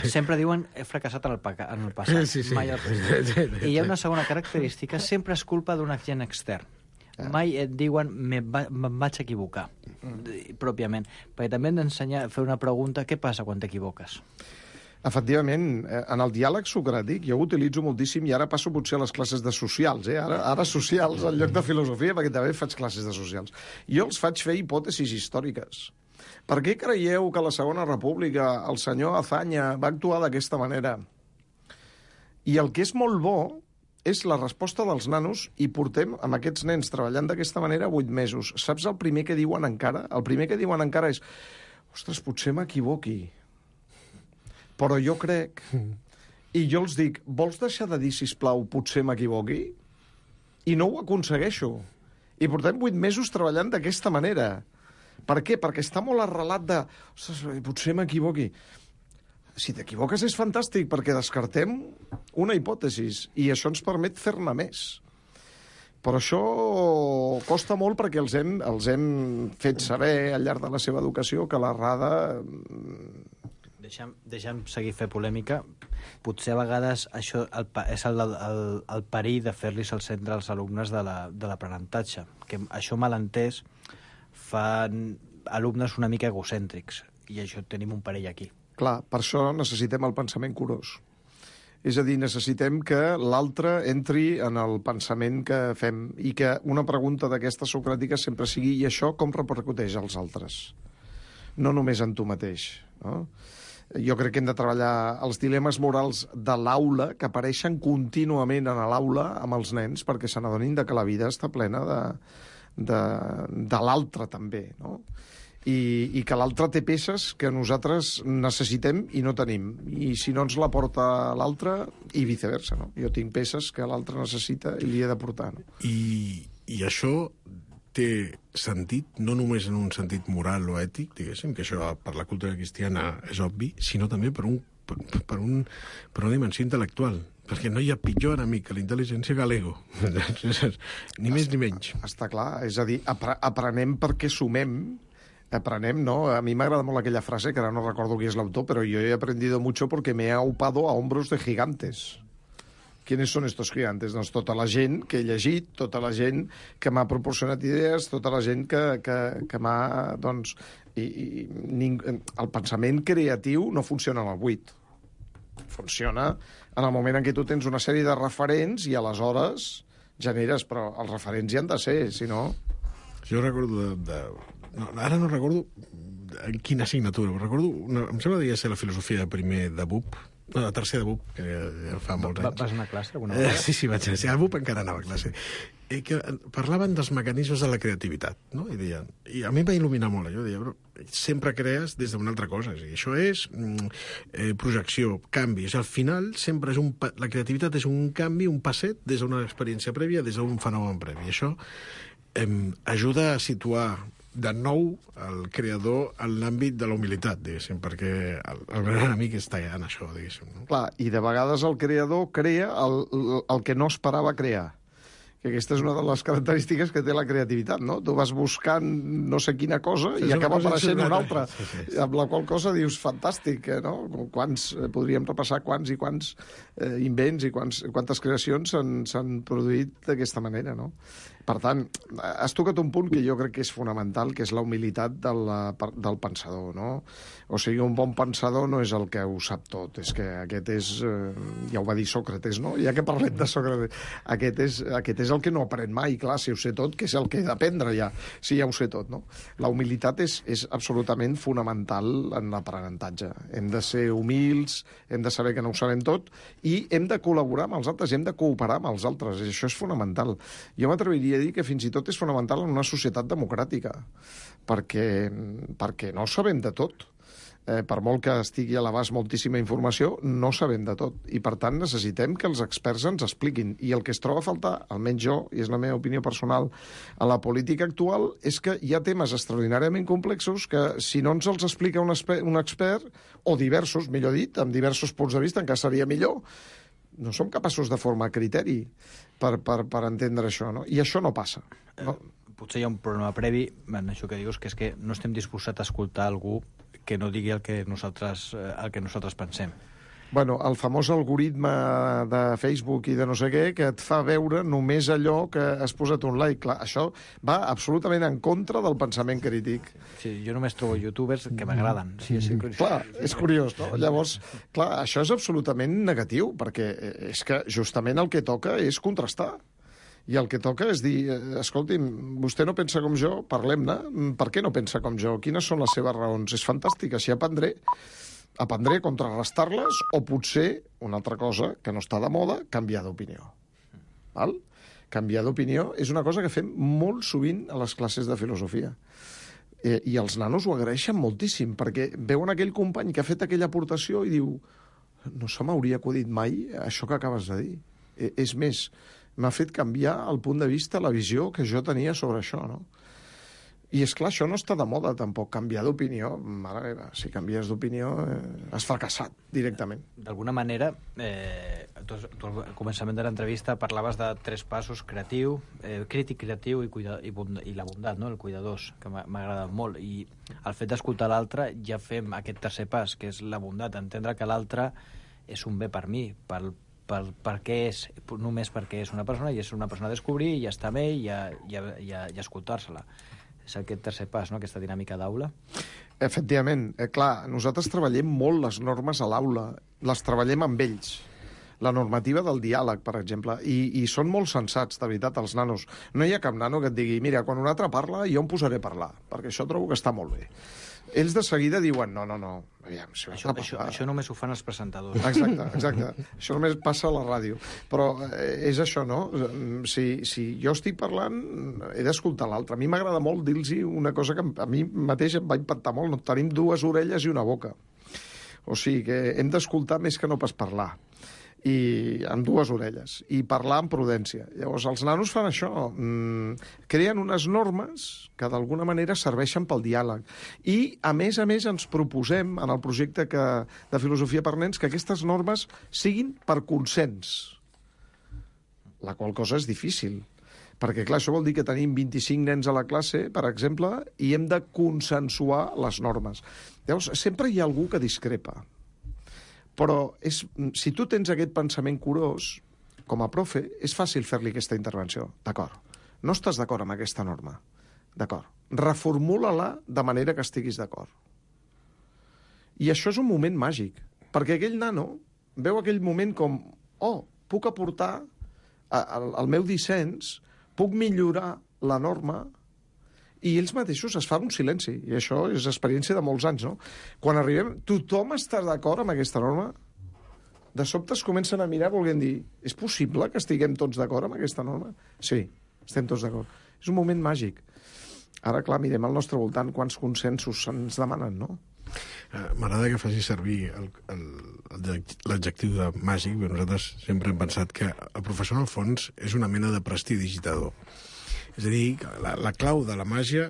Sempre diuen he fracassat en el, en el passat, sí, sí. mai al present. I hi ha una segona característica, sempre és culpa d'un agent extern. Mai et diuen me va, me'n vaig equivocar, mm. pròpiament. Perquè també hem d'ensenyar a fer una pregunta, què passa quan t'equivoques? Efectivament, en el diàleg socràtic jo ho utilitzo moltíssim i ara passo potser a les classes de socials, eh? Ara, ara socials en lloc de filosofia, perquè també faig classes de socials. Jo els faig fer hipòtesis històriques. Per què creieu que a la Segona República el senyor Azaña va actuar d'aquesta manera? I el que és molt bo és la resposta dels nanos i portem amb aquests nens treballant d'aquesta manera vuit mesos. Saps el primer que diuen encara? El primer que diuen encara és ostres, potser m'equivoqui, però jo crec... I jo els dic, vols deixar de dir, sisplau, potser m'equivoqui? I no ho aconsegueixo. I portem vuit mesos treballant d'aquesta manera. Per què? Perquè està molt arrelat de... Ostres, potser m'equivoqui. Si t'equivoques és fantàstic, perquè descartem una hipòtesi i això ens permet fer-ne més. Però això costa molt perquè els hem, els hem fet saber al llarg de la seva educació que l'errada... Deixa'm, deixa'm seguir fer polèmica. Potser a vegades això el, és el, el, el perill de fer-los al centre als alumnes de l'aprenentatge. Que això mal entès fa alumnes una mica egocèntrics i això tenim un perill aquí. Clar, per això necessitem el pensament curós. És a dir, necessitem que l'altre entri en el pensament que fem i que una pregunta d'aquesta socràtica sempre sigui i això com repercuteix als altres? No només en tu mateix, no? Jo crec que hem de treballar els dilemes morals de l'aula que apareixen contínuament en l'aula amb els nens perquè se n'adonin que la vida està plena de, de, de l'altre també, no? I, i que l'altre té peces que nosaltres necessitem i no tenim. I si no ens la porta l'altre, i viceversa, no? Jo tinc peces que l'altre necessita i li he de portar, no? I, i això té sentit, no només en un sentit moral o ètic, diguéssim, que això per la cultura cristiana és obvi, sinó també per, un, per, per, un, per una dimensió intel·lectual, perquè no hi ha pitjor enemic que la intel·ligència que l'ego, ni més ni menys. Està clar, és a dir, apre aprenem perquè sumem, aprenem, ¿no? A mi m'agrada molt aquella frase, que ara no recordo qui és l'autor, però jo he aprendido mucho porque me he aupado a hombros de gigantes. ¿Quiénes són estos gigantes? Doncs tota la gent que he llegit, tota la gent que m'ha proporcionat idees, tota la gent que, que, que m'ha... Doncs, i, i, ning... El pensament creatiu no funciona en el buit. Funciona en el moment en què tu tens una sèrie de referents i aleshores generes, però els referents hi han de ser, si no... Jo recordo de... de... No, ara no recordo en quina assignatura, però recordo... Una... Em sembla que devia ser la filosofia de primer de B U P, no, la tercera de B U P, que ja fa molts anys. Vas anar a classe alguna vegada? Eh, sí, sí, vaig anar. Sí, a B U P encara anava a classe. I que parlaven dels mecanismes de la creativitat, no? I deien, i a mi em va il·luminar molt, jo deia, però sempre crees des d'una altra cosa. I això és eh, projecció, canvi. Al final, sempre és un... La creativitat és un canvi, un passet des d'una experiència prèvia, des d'un fenomen previ. I això eh, ajuda a situar de nou el creador en l'àmbit de la humilitat, diguéssim, perquè el, el gran enemic està ja en això, diguéssim. No? Clar, i de vegades el creador crea el, el que no esperava crear. Que aquesta és una de les característiques que té la creativitat, no? Tu vas buscant no sé quina cosa sí, i acaba apareixent una altra, sí, sí, sí. Amb la qual cosa dius, fantàstic, eh, no? Quants, eh, podríem repassar quants i quants eh, invents i quants, quantes creacions s'han produït d'aquesta manera, no? Per tant, has tocat un punt que jo crec que és fonamental, que és la humilitat de la, del pensador, no? O sigui, un bon pensador no és el que ho sap tot, és que aquest és, eh, ja ho va dir Sòcrates, no? Ja que parlem de Sòcrates, aquest és, aquest és el que no aprèn mai, clar, si ho sé tot, que és el que he d'aprendre ja, si ja ho sé tot, no? La humilitat és, és absolutament fonamental en l'aprenentatge. Hem de ser humils, hem de saber que no ho sabem tot i hem de col·laborar amb els altres, hem de cooperar amb els altres, i això és fonamental. Jo m'atreviria a dir que fins i tot és fonamental en una societat democràtica, perquè, perquè no sabem de tot. Eh, per molt que estigui a l'abast moltíssima informació, no sabem de tot. I, per tant, necessitem que els experts ens expliquin. I el que es troba a faltar, almenys jo, i és la meva opinió personal, a la política actual, és que hi ha temes extraordinàriament complexos que, si no ens els explica un, un expert, o diversos, millor dit, amb diversos punts de vista, encara seria millor, no som capaços de formar criteri per, per, per entendre això, no? I això no passa. No? Eh, potser hi ha un problema previ en això que dius, que és que no estem disposats a escoltar algú que no digui el que nosaltres, el que nosaltres pensem. Bueno, el famós algoritme de Facebook i de no sé què, que et fa veure només allò que has posat un like. Clar, això va absolutament en contra del pensament crític. Sí, jo només trobo youtubers que m'agraden. Sí, sí, clar, és curiós, no? Llavors, clar, això és absolutament negatiu, perquè és que justament el que toca és contrastar. I el que toca és dir, escolti'm, vostè no pensa com jo, parlem-ne. Per què no pensa com jo? Quines són les seves raons? És fantàstic, així aprendré. Aprendré a contrarrestar-les o potser, una altra cosa que no està de moda, canviar d'opinió. Val? Canviar d'opinió és una cosa que fem molt sovint a les classes de filosofia. Eh, I els nanos ho agraeixen moltíssim, perquè veuen aquell company que ha fet aquella aportació i diu no se m'hauria acudit mai això que acabes de dir. Eh, és més, m'ha fet canviar el punt de vista, la visió que jo tenia sobre això, no? I, és clar, això no està de moda, tampoc. Canviar d'opinió, mare meva, si canvies d'opinió, eh, has fracassat directament. D'alguna manera, eh, tu, tu al començament de l'entrevista parlaves de tres passos: creatiu, eh, crític creatiu i, cuida, i, bond, i la bondat, no? El cuidadós, que m'ha agradat molt. I el fet d'escoltar l'altre ja fem aquest tercer pas, que és la bondat, entendre que l'altre és un bé per mi, pel per, per què és, només perquè és una persona i és una persona a descobrir i ja està amb ell i, a, i, a, i, a, i a escoltar-se-la. És aquest tercer pas, no?, aquesta dinàmica d'aula. Efectivament. Eh, clar, nosaltres treballem molt les normes a l'aula. Les treballem amb ells. La normativa del diàleg, per exemple. I, i són molt sensats, de veritat, els nanos. No hi ha cap nano que et digui, mira, quan un altre parla, jo em posaré a parlar, perquè això trobo que està molt bé. Ells de seguida diuen, no, no, no, aviam, si això, això, això només ho fan els presentadors. Exacte, exacte. Això només passa a la ràdio. Però eh, és això, no? Si, si jo estic parlant, he d'escoltar l'altre. A mi m'agrada molt dir-los una cosa que a mi mateix em va impactar molt. No? Tenim dues orelles i una boca. O sigui que hem d'escoltar més que no pas parlar. I amb dues orelles, i parlar amb prudència. Llavors, els nanos fan això, mmm, creen unes normes que d'alguna manera serveixen pel diàleg. I, a més a més, ens proposem, en el projecte que, de Filosofia per Nens, que aquestes normes siguin per consens, la qual cosa és difícil. Perquè, clar, això vol dir que tenim vint-i-cinc nens a la classe, per exemple, i hem de consensuar les normes. Llavors, sempre hi ha algú que discrepa. Però és, si tu tens aquest pensament curós, com a profe, és fàcil fer-li aquesta intervenció. D'acord. No estàs d'acord amb aquesta norma. D'acord. Reformula-la de manera que estiguis d'acord. I això és un moment màgic, perquè aquell nano veu aquell moment com, oh, puc aportar el, el meu dissens, puc millorar la norma, i ells mateixos es fan un silenci, i això és experiència de molts anys, no? Quan arribem, tothom està d'acord amb aquesta norma? De sobte es comencen a mirar volent dir, és possible que estiguem tots d'acord amb aquesta norma? Sí, estem tots d'acord. És un moment màgic. Ara, clar, mirem al nostre voltant quants consensos se'ns demanen, no? Uh, M'agrada que faci servir l'adjectiu de màgic, perquè nosaltres sempre hem pensat que el professor, en el fons, és una mena de prestidigitador. És a dir, la, la clau de la màgia,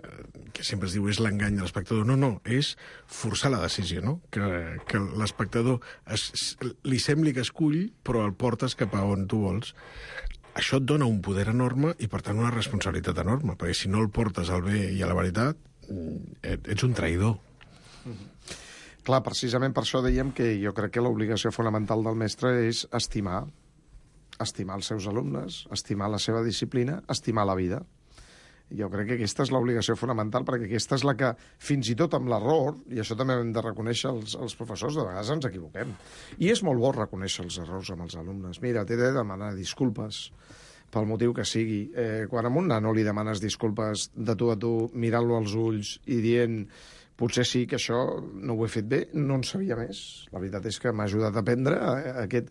que sempre es diu és l'engany de l'espectador, no, no, és forçar la decisió, no? Que, que l'espectador es, li sembli que escull, però el portes cap a on tu vols. Això et dona un poder enorme i, per tant, una responsabilitat enorme, perquè si no el portes al bé i a la veritat, ets un traïdor. Mm-hmm. Clar, precisament per això dèiem que jo crec que l'obligació fonamental del mestre és estimar, estimar els seus alumnes, estimar la seva disciplina, estimar la vida. Jo crec que aquesta és l'obligació fonamental, perquè aquesta és la que, fins i tot amb l'error, i això també hem de reconèixer els, els professors, de vegades ens equivoquem. I és molt bo reconèixer els errors amb els alumnes. Mira, t'he de demanar disculpes pel motiu que sigui. Eh, quan a un nano li demanes disculpes de tu a tu, mirant-lo als ulls i dient potser sí que això no ho he fet bé, no en sabia més. La veritat és que m'ha ajudat a aprendre aquest...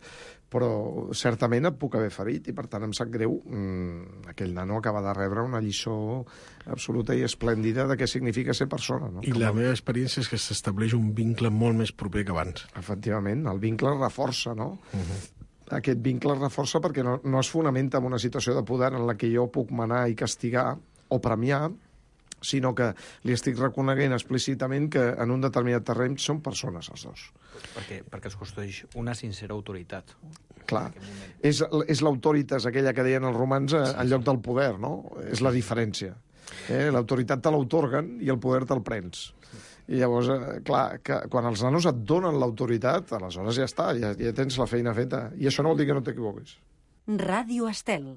però certament et puc haver ferit i, per tant, em sap greu. Mm, aquell nano acaba de rebre una lliçó absoluta i esplèndida de què significa ser persona. No? I la meva experiència és que s'estableix un vincle molt més proper que abans. Efectivament, el vincle reforça, no? Uh-huh. Aquest vincle es reforça perquè no, no es fonamenta en una situació de poder en la que jo puc manar i castigar o premiar, sinó que li estic reconeguent explícitament que en un determinat terreny són persones els dos. Perquè, perquè es construeix una sincera autoritat. Clar, és, és l'autoritas aquella que deien els romans en sí, lloc del poder, no? És la diferència. Eh? L'autoritat te l'autorguen i el poder te'l prens. I llavors, eh, clar, que quan els nanos et donen l'autoritat, aleshores ja està, ja, ja tens la feina feta. I això no vol dir que no t'equivoquis. Ràdio Estel.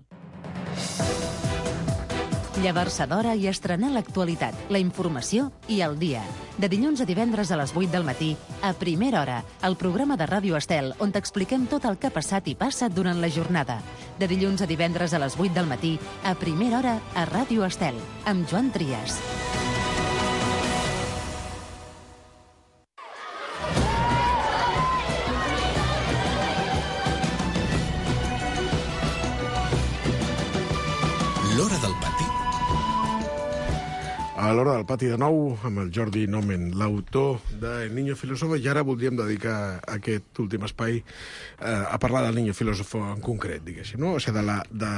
Llevar-se d'hora i estrenar l'actualitat, la informació i el dia. De dilluns a divendres a les vuit del matí, a Primera Hora, el programa de Ràdio Estel, on t'expliquem tot el que ha passat i passa durant la jornada. De dilluns a divendres a les vuit del matí, a Primera Hora, a Ràdio Estel, amb Joan Trias. L'Hora del Pati. A l'Hora del Pati de nou, amb el Jordi Nomen, l'autor de El Niño Filósofo, i ara voldríem dedicar aquest últim espai eh, a parlar del Niño Filósofo en concret, diguéssim, no? O sigui, de, la, de,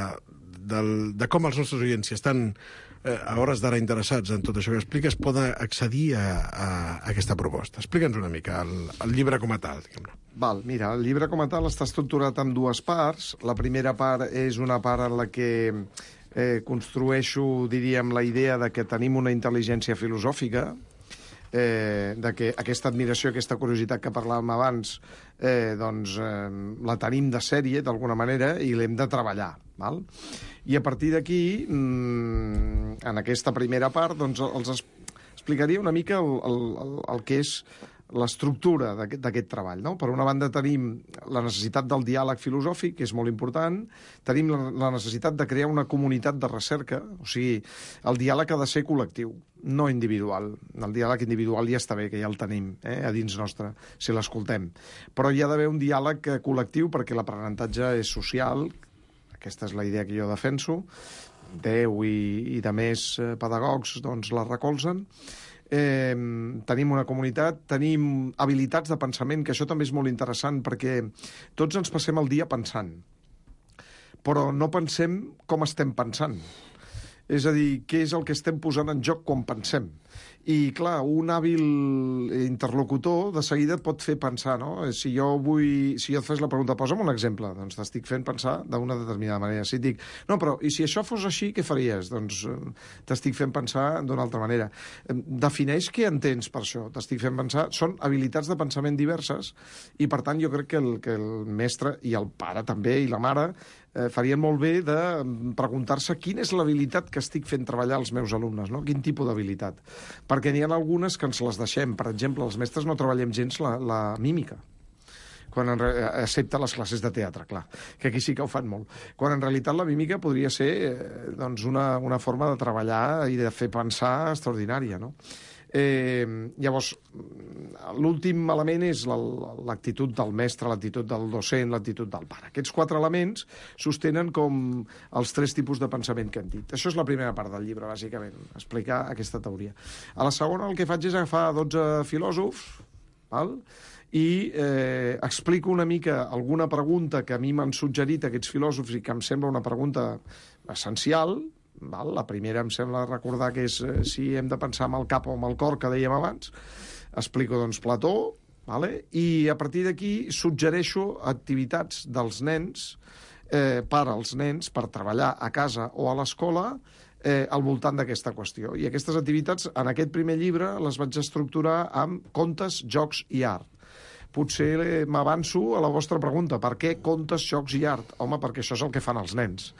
del, de com els nostres oients, si estan eh, a hores d'ara interessats en tot això que expliques, poden accedir a, a, a aquesta proposta. Explica'ns una mica el, el llibre com a tal, diguem-ne. Val, mira, el llibre com a tal està estructurat en dues parts. La primera part és una part en la que Eh, construeixo, diríem, la idea de que tenim una intel·ligència filosòfica, eh, de que aquesta admiració, aquesta curiositat que parlàvem abans, eh, doncs eh, la tenim de sèrie, d'alguna manera, i l'hem de treballar. Val? I a partir d'aquí, mmm, en aquesta primera part, doncs els explicaria una mica el, el, el, el que és l'estructura d'aquest treball. No? Per una banda tenim la necessitat del diàleg filosòfic, que és molt important, tenim la, la necessitat de crear una comunitat de recerca, o sigui, el diàleg ha de ser col·lectiu, no individual. El diàleg individual ja està bé, que ja el tenim eh, a dins nostre, si l'escoltem. Però hi ha d'haver un diàleg col·lectiu perquè l'aprenentatge és social, aquesta és la idea que jo defenso, Déu i, i de més pedagogs doncs, la recolzen. Eh, tenim una comunitat, tenim habilitats de pensament, que això també és molt interessant perquè tots ens passem el dia pensant, però no pensem com estem pensant. És a dir, què és el que estem posant en joc quan pensem. I, clar, un hàbil interlocutor de seguida et pot fer pensar, no? Si jo vull... Si jo et fes la pregunta, posa'm un exemple, doncs t'estic fent pensar d'una determinada manera. Si et dic, no, però i si això fos així, què faries? Doncs t'estic fent pensar d'una altra manera. Defineix què entens per això. T'estic fent pensar... Són habilitats de pensament diverses i, per tant, jo crec que el, que el mestre i el pare també i la mare eh, farien molt bé de preguntar-se quina és l'habilitat que estic fent treballar als meus alumnes, no? Quin tipus d'habilitat? Perquè n'hi ha algunes que ens les deixem. Per exemple, els mestres no treballem gens la, la mímica, quan en, excepte les classes de teatre, clar, que aquí sí que ho fan molt. Quan en realitat la mímica podria ser eh, doncs una, una forma de treballar i de fer pensar extraordinària, no? Eh, llavors, l'últim element és l'actitud del mestre, l'actitud del docent, l'actitud del pare. Aquests quatre elements sostenen com els tres tipus de pensament que hem dit. Això és la primera part del llibre, bàsicament, explicar aquesta teoria. A la segona el que faig és agafar dotze filòsofs, val? I eh, explico una mica alguna pregunta que a mi m'han suggerit aquests filòsofs i que em sembla una pregunta essencial. Val? La primera em sembla recordar que és eh, si hem de pensar amb el cap o amb el cor, que dèiem abans. Explico, doncs, Plató, vale? I a partir d'aquí suggereixo activitats dels nens, eh, per als nens, per treballar a casa o a l'escola, eh, al voltant d'aquesta qüestió. I aquestes activitats, en aquest primer llibre, les vaig estructurar amb contes, jocs i art. Potser m'avanço a la vostra pregunta. Per què contes, jocs i art? Home, perquè això és el que fan els nens.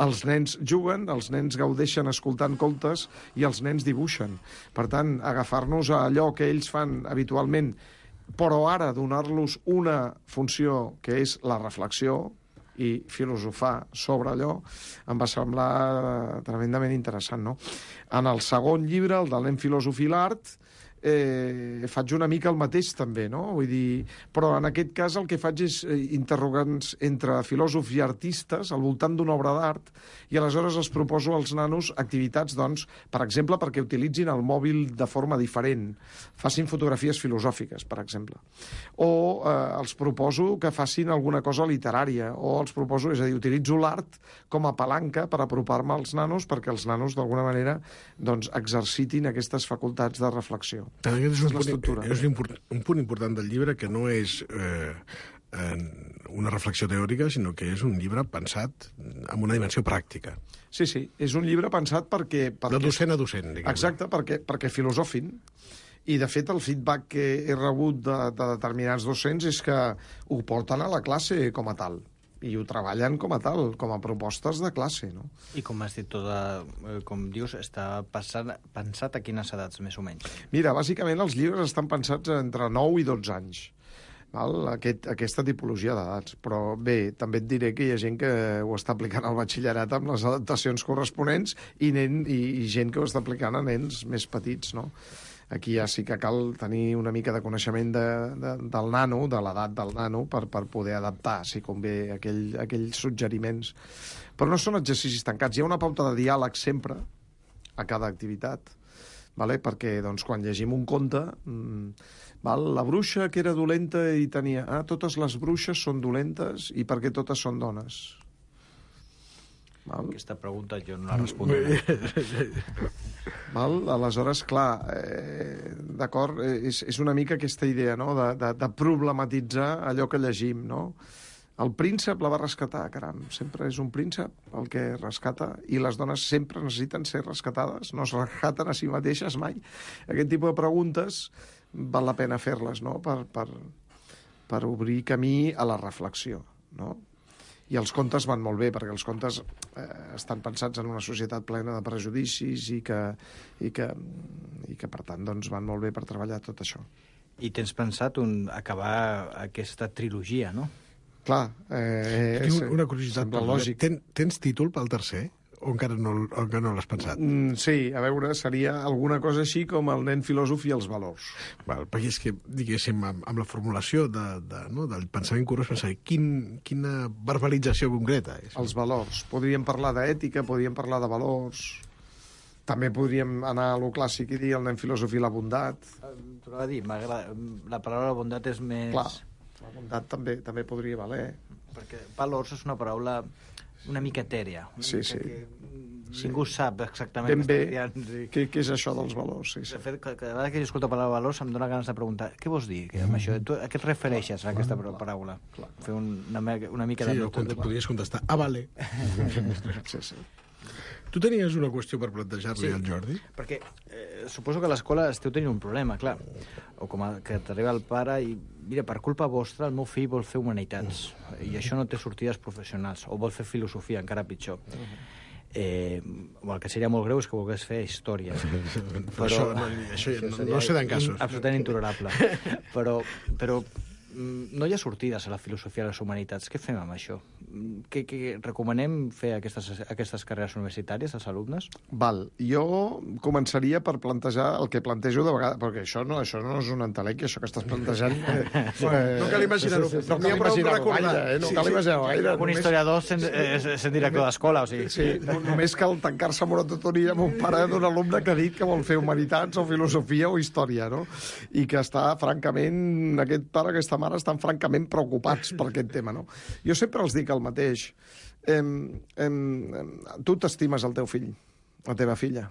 Els nens juguen, els nens gaudeixen escoltant contes i els nens dibuixen. Per tant, agafar-nos a allò que ells fan habitualment, però ara donar-los una funció que és la reflexió i filosofar sobre allò, em va semblar tremendament interessant, no? En el segon llibre, el de l'En filòsof i l'art, Eh, faig una mica el mateix també, no? Vull dir, però en aquest cas el que faig és interrogants entre filòsofs i artistes al voltant d'una obra d'art i aleshores els proposo als nanos activitats, doncs, per exemple, perquè utilitzin el mòbil de forma diferent, facin fotografies filosòfiques, per exemple, o eh, els proposo que facin alguna cosa literària, o els proposo, és a dir, utilitzo l'art com a palanca per apropar-me als nanos perquè els nanos d'alguna manera doncs, exercitin aquestes facultats de reflexió. Aquest és un, punt, és un, un punt important del llibre que no és eh, una reflexió teòrica, sinó que és un llibre pensat amb una dimensió pràctica. Sí, sí, és un llibre pensat perquè... perquè de docent a docent, diguem. Exacte, perquè, perquè filosofin I, de fet, el feedback que he rebut de, de determinats docents és que ho porten a la classe com a tal. I ho treballen com a tal, com a propostes de classe, no? I com has dit, tota, com dius, està passant, pensat a quines edats, més o menys? Mira, bàsicament els llibres estan pensats entre nou i dotze anys. Val? Aquest, aquesta tipologia d'edats. Però bé, també et diré que hi ha gent que ho està aplicant al batxillerat amb les adaptacions corresponents i, nen, i, i gent que ho està aplicant a nens més petits, no? Aquí ja sí que cal tenir una mica de coneixement de, de, del nano, de l'edat del nano, per, per poder adaptar, si convé, aquell, aquells suggeriments. Però no són exercicis tancats. Hi ha una pauta de diàleg sempre a cada activitat, vale? Perquè doncs, quan llegim un conte, mmm, val? La bruixa que era dolenta i tenia... Ah, totes les bruixes són dolentes i perquè totes són dones. Val? Aquesta pregunta jo no la respondré. Val? Aleshores, clar, eh, d'acord, és, és una mica aquesta idea, no?, de, de, de problematitzar allò que llegim, no? El príncep la va rescatar, caram, sempre és un príncep el que rescata, i les dones sempre necessiten ser rescatades, no es rescaten a si mateixes mai. Aquest tipus de preguntes val la pena fer-les, no?, per, per, per obrir camí a la reflexió, no? I els contes van molt bé, perquè els contes eh, estan pensats en una societat plena de prejudicis i que, i que, i que per tant, doncs, van molt bé per treballar tot això. I tens pensat un, acabar aquesta trilogia, no? Clar. Eh, Tinc una curiositat. Lògic. Ten, tens títol pel tercer? O encara no, o encara no l'has pensat? Mm, sí, a veure, seria alguna cosa així com el nen filòsof i els valors. Val, perquè és que, diguéssim, amb, amb la formulació de, de, no, del pensament curiós, pensar, quin, quina verbalització concreta és? Els valors. Podríem parlar d'ètica, podríem parlar de valors... També podríem anar a lo clàssic i dir el nen filòsof i la bondat. Tornava a dir, la paraula bondat és més... Clar, la bondat també, també podria valer. Perquè valors és una paraula una mica etèria. Una sí, mica sí. Que sí. Ningú sap exactament... Ben bé, sí. què, què és això dels valors? Sí, sí. De fet, cada vegada que jo escolto la paraula valors em dóna ganes de preguntar què vols dir amb això? Tu, a què et refereixes a aquesta paraula? Clar, clar. Fer una, una mica sí, de... Sí, o podries contestar, ah, vale. Sí, sí. Tu tenies una qüestió per plantejar-li sí, al Jordi? Perquè eh, suposo que a l'escola esteu tenint un problema, clar. O com a, que t'arriba el pare i, mira, per culpa vostra el meu fill vol fer humanitats mm. i això no té sortides professionals, o vol fer filosofia, encara pitjor. Mm. Eh, o el que seria molt greu és que volgués fer història. Però això, no, això ja, no, no sé d'en casos. Absolutament intolerable. però, però no hi ha sortides a la filosofia de les humanitats. Què fem amb això? Què, què recomanem fer aquestes, aquestes carreres universitàries als alumnes? Val. Jo començaria per plantejar el que plantejo de vegades, perquè això no, això no és un entelèquia, això que estàs plantejant... Eh, no cal imaginar-ho. Sí, sí, sí, no cal imaginar-ho gaire, eh? No sí, cal imaginar-ho gaire. Un historiador sent, és, sent director d'escola, o sigui... Sí, només cal tancar-se amb una tutoria amb un pare d'un alumne que ha dit que vol fer humanitats o filosofia o història, no? I que està, francament, aquest pare, aquesta mare estan francament preocupats per aquest tema, no? Jo sempre els dic el mateix. Em, em, em, tu t'estimes el teu fill, la teva filla?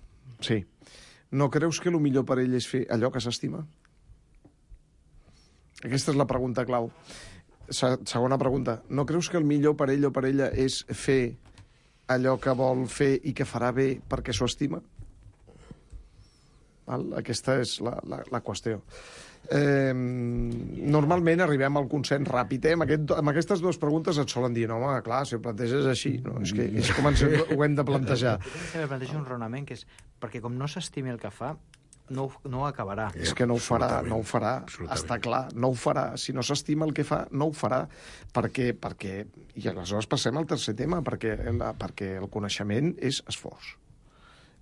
Sí. No creus que el millor per ell és fer allò que s'estima? Aquesta és la pregunta clau. Se, segona pregunta. No creus que el millor per ell o per ella és fer allò que vol fer i que farà bé perquè s'ho estima? Val? Aquesta és la, la, la qüestió. Eh, normalment arribem al consens ràpid, eh? amb, aquest, amb aquestes dues preguntes et solen dir, no, home, clar, si ho planteges així, no? És que és com ens ho hem de plantejar. Sempre plantejo un raonament que és, perquè com no s'estimi el que fa, no, no ho acabarà. És que no ho farà, no ho farà, està clar, no ho farà. Si no s'estima el que fa, no ho farà. Perquè, perquè... I aleshores passem al tercer tema, perquè, la, perquè el coneixement és esforç.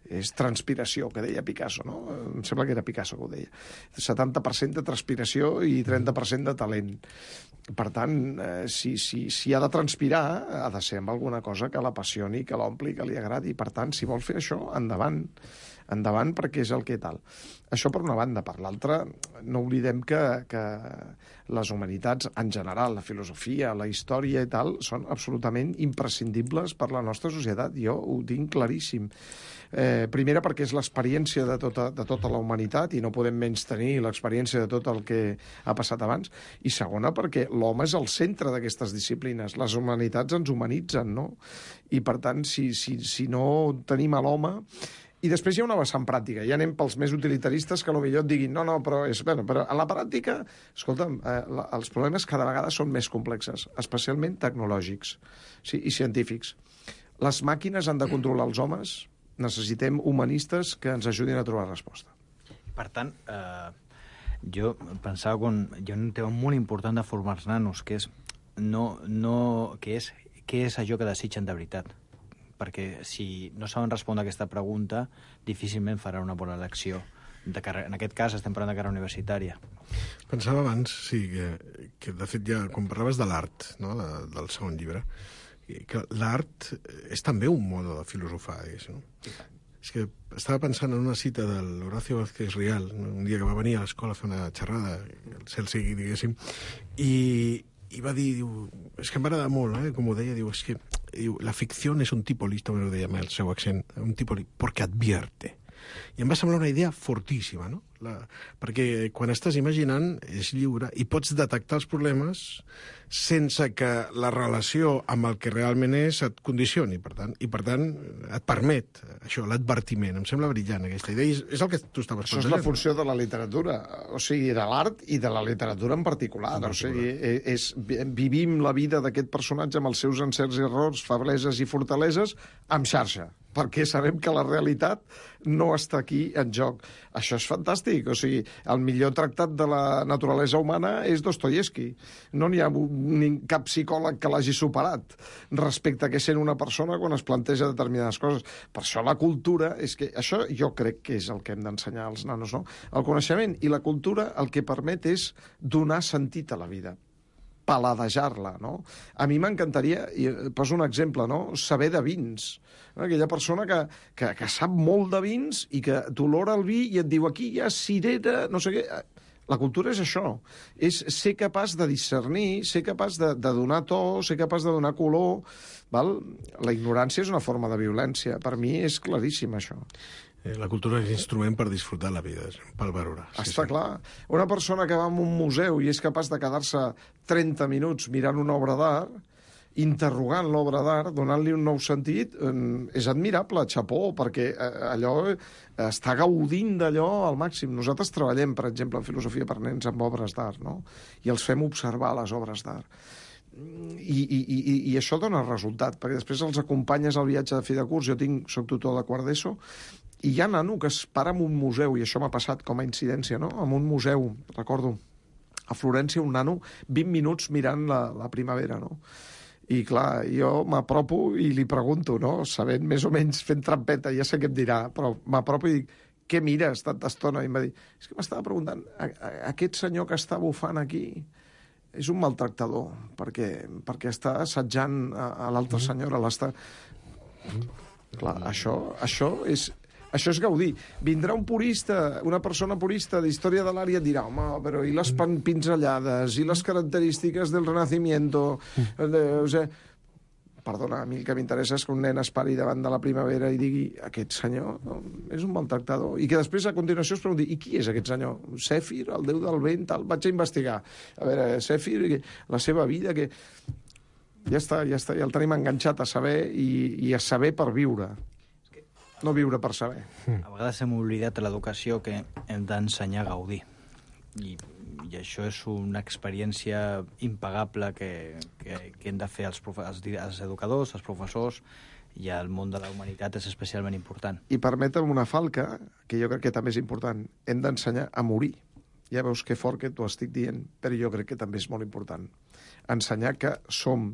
És transpiració, que deia Picasso, no? Em sembla que era Picasso que ho deia. setanta per cent de transpiració i trenta per cent de talent. Per tant, eh, si, si, si ha de transpirar, ha de ser amb alguna cosa que l'apassioni, que l'ompli, que li agradi. Per tant, si vol fer això, endavant. Endavant, perquè és el que tal. Això per una banda. Per l'altra, no oblidem que, que les humanitats, en general, la filosofia, la història i tal, són absolutament imprescindibles per la nostra societat. Jo ho tinc claríssim. Eh, primera, perquè és l'experiència de tota, de tota la humanitat i no podem menys tenir l'experiència de tot el que ha passat abans. I segona, perquè l'home és el centre d'aquestes disciplines. Les humanitats ens humanitzen, no? I, per tant, si, si, si no tenim a l'home, I després hi ha una vessant pràctica. Ja anem pels més utilitaristes que potser et diguin no, no, però, és, bueno, però a la pràctica, escolta'm, eh, la, els problemes cada vegada són més complexes, especialment tecnològics, sí, i científics. Les màquines han de controlar els homes, necessitem humanistes que ens ajudin a trobar resposta. Per tant, eh, jo pensava que hi ha un tema molt important de formar els nanos, que és, no, no, que és què és allò que desitgen de veritat. Perquè si no saben respondre a aquesta pregunta, difícilment farà una bona elecció. De carrera. En aquest cas estem parlant de carrera universitària. Pensava abans, sí, que, que de fet ja, quan parlaves de l'art, no?, de, del segon llibre, que l'art és també un modo de filosofar, no? És que estava pensant en una cita de l'Horacio Vázquez Rial, un dia que va venir a l'escola a fer una xerrada, el cel sigui, diguéssim, i, i va dir, diu, és que m'agrada molt, eh, com ho deia, diu, és que diu, la ficción es un tipo listo, me ho deia amb el seu accent, un tipo listo, porque advierte. I em va semblar una idea fortíssima, no? La, perquè quan estàs imaginant és lliure i pots detectar els problemes sense que la relació amb el que realment és et condicioni, per tant, i per tant et permet això, l'advertiment. Em sembla brillant aquesta idea, i és el que tu estaves pensant. Això és la funció de la literatura, o sigui, de l'art i de la literatura en particular. En particular. O sigui, és, vivim la vida d'aquest personatge amb els seus encerts i errors, febleses i fortaleses, amb xarxa, perquè sabem que la realitat no està aquí en joc. Això és fantàstic. O sigui, el millor tractat de la naturalesa humana és Dostoievski. No n'hi ha ni cap psicòleg que l'hagi superat respecte a què sent una persona quan es planteja determinades coses. Per això la cultura, és que això jo crec que és el que hem d'ensenyar als nanos, no? El coneixement i la cultura el que permet és donar sentit a la vida, paladejar-la, no? A mi m'encantaria, i poso un exemple, no?, saber de vins. Aquella persona que, que, que sap molt de vins i que t'olora el vi i et diu aquí hi ha cirera, no sé què. La cultura és això, és ser capaç de discernir, ser capaç de, de donar to, ser capaç de donar color. Val? La ignorància és una forma de violència. Per mi és claríssim, això. La cultura és instrument per disfrutar la vida, per valorar. Sí, Està sí. clar. Una persona que va a un museu i és capaç de quedar-se trenta minuts mirant una obra d'art, interrogant l'obra d'art, donant-li un nou sentit, és admirable, xapó, perquè allò està gaudint d'allò al màxim. Nosaltres treballem, per exemple, en filosofia per nens amb obres d'art, no? I els fem observar les obres d'art. I, i, i, i això dona resultat, perquè després els acompanyes al viatge de fi de curs. Jo tinc, soc tutor de quart d'ESO, i hi ha nano que es para en un museu, i això m'ha passat com a incidència, no? En un museu, recordo, a Florència, un nano, vint minuts mirant la, la primavera, no? I, clar, jo m'apropo i li pregunto, no?, sabent més o menys, fent trampeta, ja sé què em dirà, però m'apropo i dic, què mires tanta estona? I em va dir, és que m'estava preguntant, a, a, aquest senyor que està bufant aquí és un maltractador, perquè, perquè està assetjant a, a l'altra senyora, l'està... Clar, això, això és... Això és gaudir. Vindrà un purista, una persona purista d'història de l'art i et dirà, home, però i les pinzellades, i les característiques del Renacimiento... De, o sigui, perdona, a mi el que m'interessa és que un nen es pari davant de la primavera i digui, aquest senyor és un maltractador. I que després, a continuació, es pregunti, i qui és aquest senyor? Sèfir, el déu del vent, tal? Vaig a investigar. A veure, Sèfir, la seva vida, que... Ja està, ja està, ja el tenim enganxat a saber i, i a saber per viure. No viure per saber. A vegades hem oblidat a l'educació que hem d'ensenyar a gaudir. I, i això és una experiència impagable que, que, que hem de fer els, profe els, els educadors, els professors, i el món de la humanitat és especialment important. I permetem una falca, que jo crec que també és important. Hem d'ensenyar a morir. Ja veus que fort que t'ho estic dient, però jo crec que també és molt important. Ensenyar que som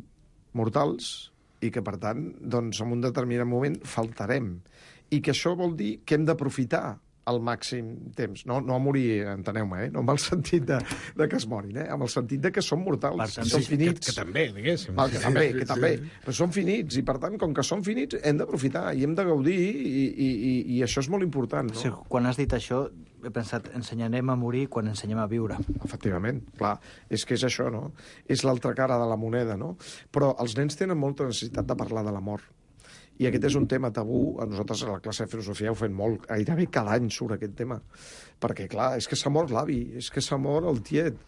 mortals i que, per tant, doncs, en un determinat moment faltarem. I que això vol dir que hem d'aprofitar al màxim temps. No, no a morir, enteneu-me, eh? No amb el sentit de, de que es morin, eh? Amb el sentit de que som mortals, per tant, som sí, finits. Que, que també, diguéssim. Val, que també, que també. Però som finits, i per tant, com que som finits, hem d'aprofitar i hem de gaudir, i, i, i, i això és molt important, no? Sí, quan has dit això, he pensat, ensenyarem a morir quan ensenyem a viure. Efectivament, clar, és que és això, no? És l'altra cara de la moneda, no? Però els nens tenen molta necessitat de parlar de la mort. I aquest és un tema tabú. A nosaltres a la classe de filosofia ho fem molt. Gairebé cada any surt aquest tema. Perquè, clar, és que s'ha mort l'avi, és que s'ha mort el tiet.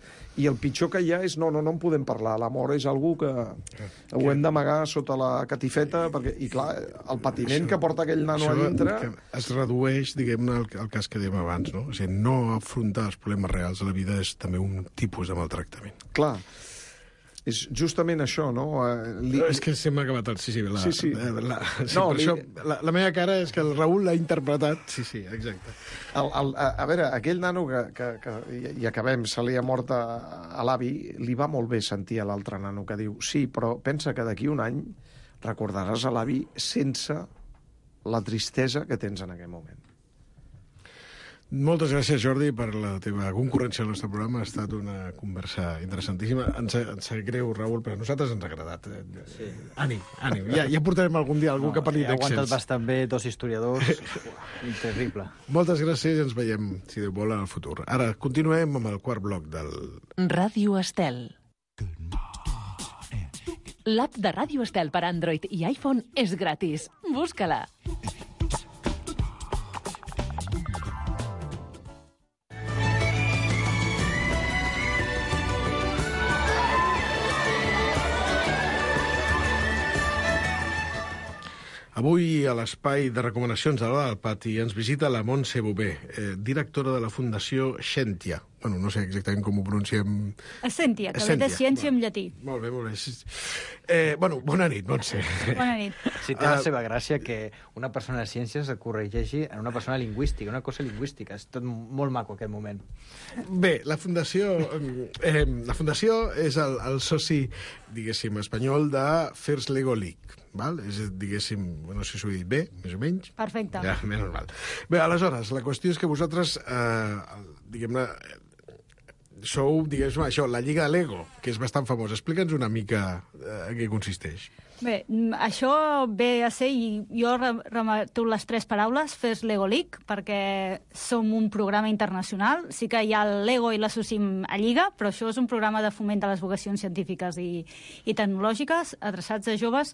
I el pitjor que hi ha és, no, no, no en podem parlar. La mort és algú que ho hem d'amagar sota la catifeta, perquè, i clar, el patiment que porta aquell nano a dintre... Es redueix, diguem-ne, al, al cas que dèiem abans, no? O sigui, no afrontar els problemes reals de la vida és també un tipus de maltractament. Clar. És justament això, no? Li... És que se m'ha acabat el... Sí, sí, la, sí, sí. La, la, sí no, per li... això, la, la meva cara és que el Raül l'ha interpretat. Sí, sí, exacte. El, el, a, a veure, aquell nano que, que, que i acabem, se li ha mort a, a l'avi, li va molt bé sentir a l'altre nano que diu sí, però pensa que d'aquí un any recordaràs a l'avi sense la tristesa que tens en aquell moment. Moltes gràcies, Jordi, per la teva concurrència al nostre programa. Ha estat una conversa interessantíssima. Ens, ens sap greu, Raül, però a nosaltres ens ha agradat. Sí. Ànim, ànim. Ja, ja portarem algun dia algú no, que parli d'Excels. He aguantat bastant bé, dos historiadors. Terrible. Moltes gràcies i ens veiem, si Déu vol, en el futur. Ara continuem amb el quart bloc del... Ràdio Estel. L'app de Ràdio Estel per Android i iPhone és gratis. Busca-la. Avui, a l'espai de recomanacions de l'Hora del Pati, ens visita la Montse Bové, eh, directora de la Fundació Scientia. Bueno, no sé exactament com ho pronunciem... Scientia, que ve de ciència en llatí. Molt bé, molt bé. Eh, bueno, bona nit, Montse. Bona nit. Sí, té la seva gràcia que una persona de ciències es corregeixi en una persona lingüística, una cosa lingüística. És tot molt maco aquest moment. Bé, la Fundació, eh, la Fundació és el, el soci, diguéssim, espanyol de First Lego League. Val? És, diguéssim, no sé si ho he dit bé, més o menys. Perfecte. Ja, menys mal. Bé, aleshores, la qüestió és que vosaltres, eh, diguem-ne, sou, diguéssim, això, la Lliga de Lego, que és bastant famosa. Explica'ns una mica eh, en què consisteix. Bé, això ve a ser, i jo remeto les tres paraules, First Lego League, perquè som un programa internacional. Sí que hi ha el Lego i l'associem a Lliga, però això és un programa de foment de les vocacions científiques i, i tecnològiques, adreçats a joves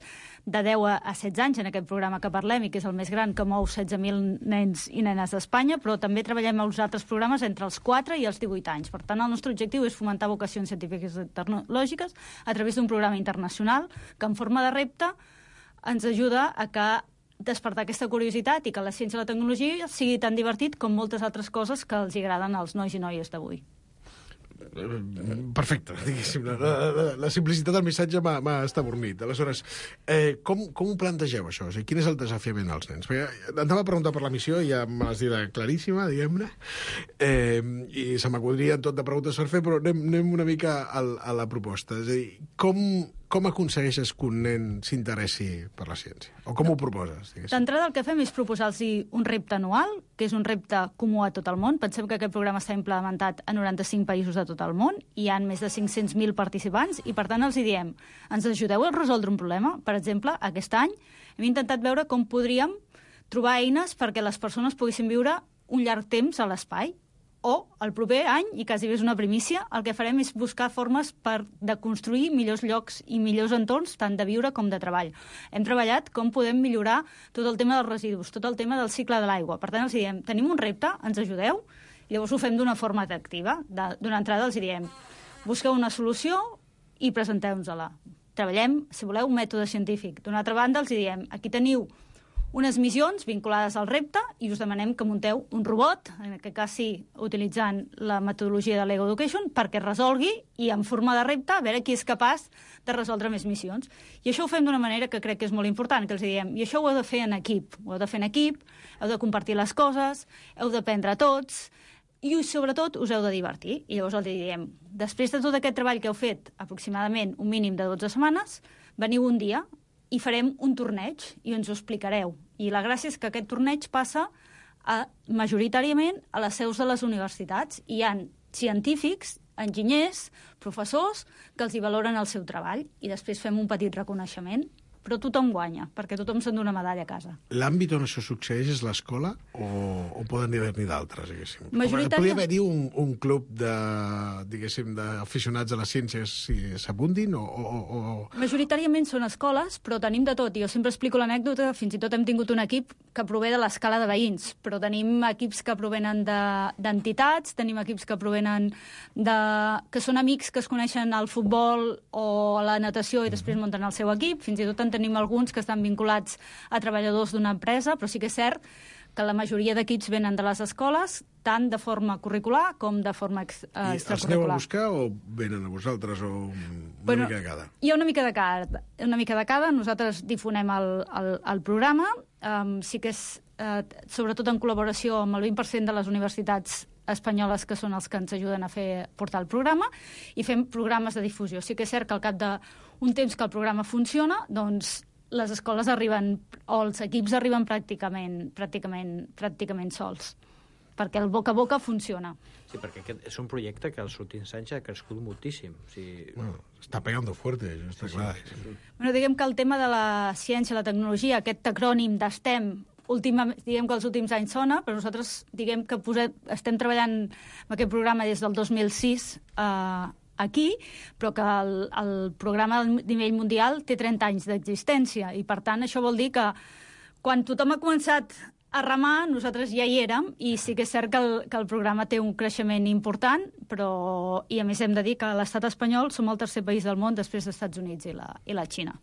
de deu a setze anys, en aquest programa que parlem, i que és el més gran, que mou setze mil nens i nenes d'Espanya, però també treballem als altres programes entre els quatre i els divuit anys. Per tant, el nostre objectiu és fomentar vocacions científiques i tecnològiques a través d'un programa internacional que, en forma de repte, ens ajuda a que despertar aquesta curiositat i que la ciència i la tecnologia sigui tan divertit com moltes altres coses que els agraden als nois i noies d'avui. Perfecte, diguéssim. La, la, la simplicitat del missatge m'ha estabornit. Aleshores, eh, com, com ho plantegeu, això? O sigui, quin és el desafiament als nens? Perquè anava a preguntar per la missió i ja me l'has dit claríssima, diguem-ne, eh, i se m'acudrien tot de preguntes per fer, però anem, anem una mica a, a la proposta. És a dir, com... Com aconsegueixes que un nen s'interessi per la ciència? O com ho proposes? D'entrada el que fem és proposar-los un repte anual, que és un repte comú a tot el món. Pensem que aquest programa està implementat a noranta-cinc països de tot el món. Hi ha més de cinc-cents mil participants i, per tant, els hi diem, ens ajudeu a resoldre un problema? Per exemple, aquest any hem intentat veure com podríem trobar eines perquè les persones poguessin viure un llarg temps a l'espai. O, el proper any, i quasi bé és una primícia, el que farem és buscar formes per de construir millors llocs i millors entorns, tant de viure com de treball. Hem treballat com podem millorar tot el tema dels residus, tot el tema del cicle de l'aigua. Per tant, els diem, tenim un repte, ens ajudeu? I llavors ho fem d'una forma atractiva. D'una entrada els diem, busqueu una solució i presenteu-nos-la. Treballem, si voleu, un mètode científic. D'una altra banda, els diem, aquí teniu unes missions vinculades al repte i us demanem que munteu un robot, en aquest cas sí, utilitzant la metodologia de Lego Education, perquè resolgui i en forma de repte a veure qui és capaç de resoldre més missions. I això ho fem d'una manera que crec que és molt important, que els diem, i això ho heu de fer en equip, ho heu de fer en equip, heu de compartir les coses, heu d'aprendre tots, i sobretot us heu de divertir. I llavors els diem, després de tot aquest treball que heu fet, aproximadament un mínim de dotze setmanes, veniu un dia i farem un torneig i ens ho explicareu. I la gràcia és que aquest torneig passa a, majoritàriament a les seus de les universitats. Hi ha científics, enginyers, professors, que els hi valoren el seu treball i després fem un petit reconeixement. però tothom guanya, perquè tothom s'endú una medalla a casa. L'àmbit on això succeeix és l'escola o, o poden haver-n'hi d'altres, diguéssim? Majoritària... Podria haver-hi un, un club de, diguéssim, d'aficionats a les ciències si s'abundin o, o, o... Majoritàriament són escoles, però tenim de tot. Jo sempre explico l'anècdota, fins i tot hem tingut un equip que prové de l'escala de veïns, però tenim equips que provenen d'entitats, de, tenim equips que provenen de... que són amics que es coneixen al futbol o a la natació i després munten el seu equip. Fins i tot en tenim alguns que estan vinculats a treballadors d'una empresa, però sí que és cert que la majoria d'equips venen de les escoles, tant de forma curricular com de forma ex, eh, extracurricular. I els aneu a buscar o venen a vosaltres, o una bueno, mica de cada? Hi ha una mica de cada. Una mica de cada. Nosaltres difonem el, el, el programa. Um, sí que és, eh, sobretot en col·laboració amb el vint per cent de les universitats espanyoles, que són els que ens ajuden a fer portar el programa, i fem programes de difusió. Sí que és cert que al cap d'un temps que el programa funciona, doncs les escoles arriben, o els equips arriben pràcticament, pràcticament, pràcticament sols, perquè el boca a boca funciona. Sí, perquè aquest és un projecte que els últims anys ha crescut moltíssim. O sigui... Bueno, està pegando fuerte, això està sí, clar. Sí, sí. Bueno, diguem que el tema de la ciència, la tecnologia, aquest acrònim d'STEM, última, diguem que els últims anys sona, però nosaltres diguem que posem, estem treballant en aquest programa des del dos mil sis eh, aquí, però que el, el programa a nivell mundial té trenta anys d'existència, i per tant això vol dir que quan tothom ha començat a remar, nosaltres ja hi érem, i sí que és cert que el, que el programa té un creixement important, però, i a més hem de dir que l'estat espanyol som el tercer país del món després dels Estats Units i la, i la Xina.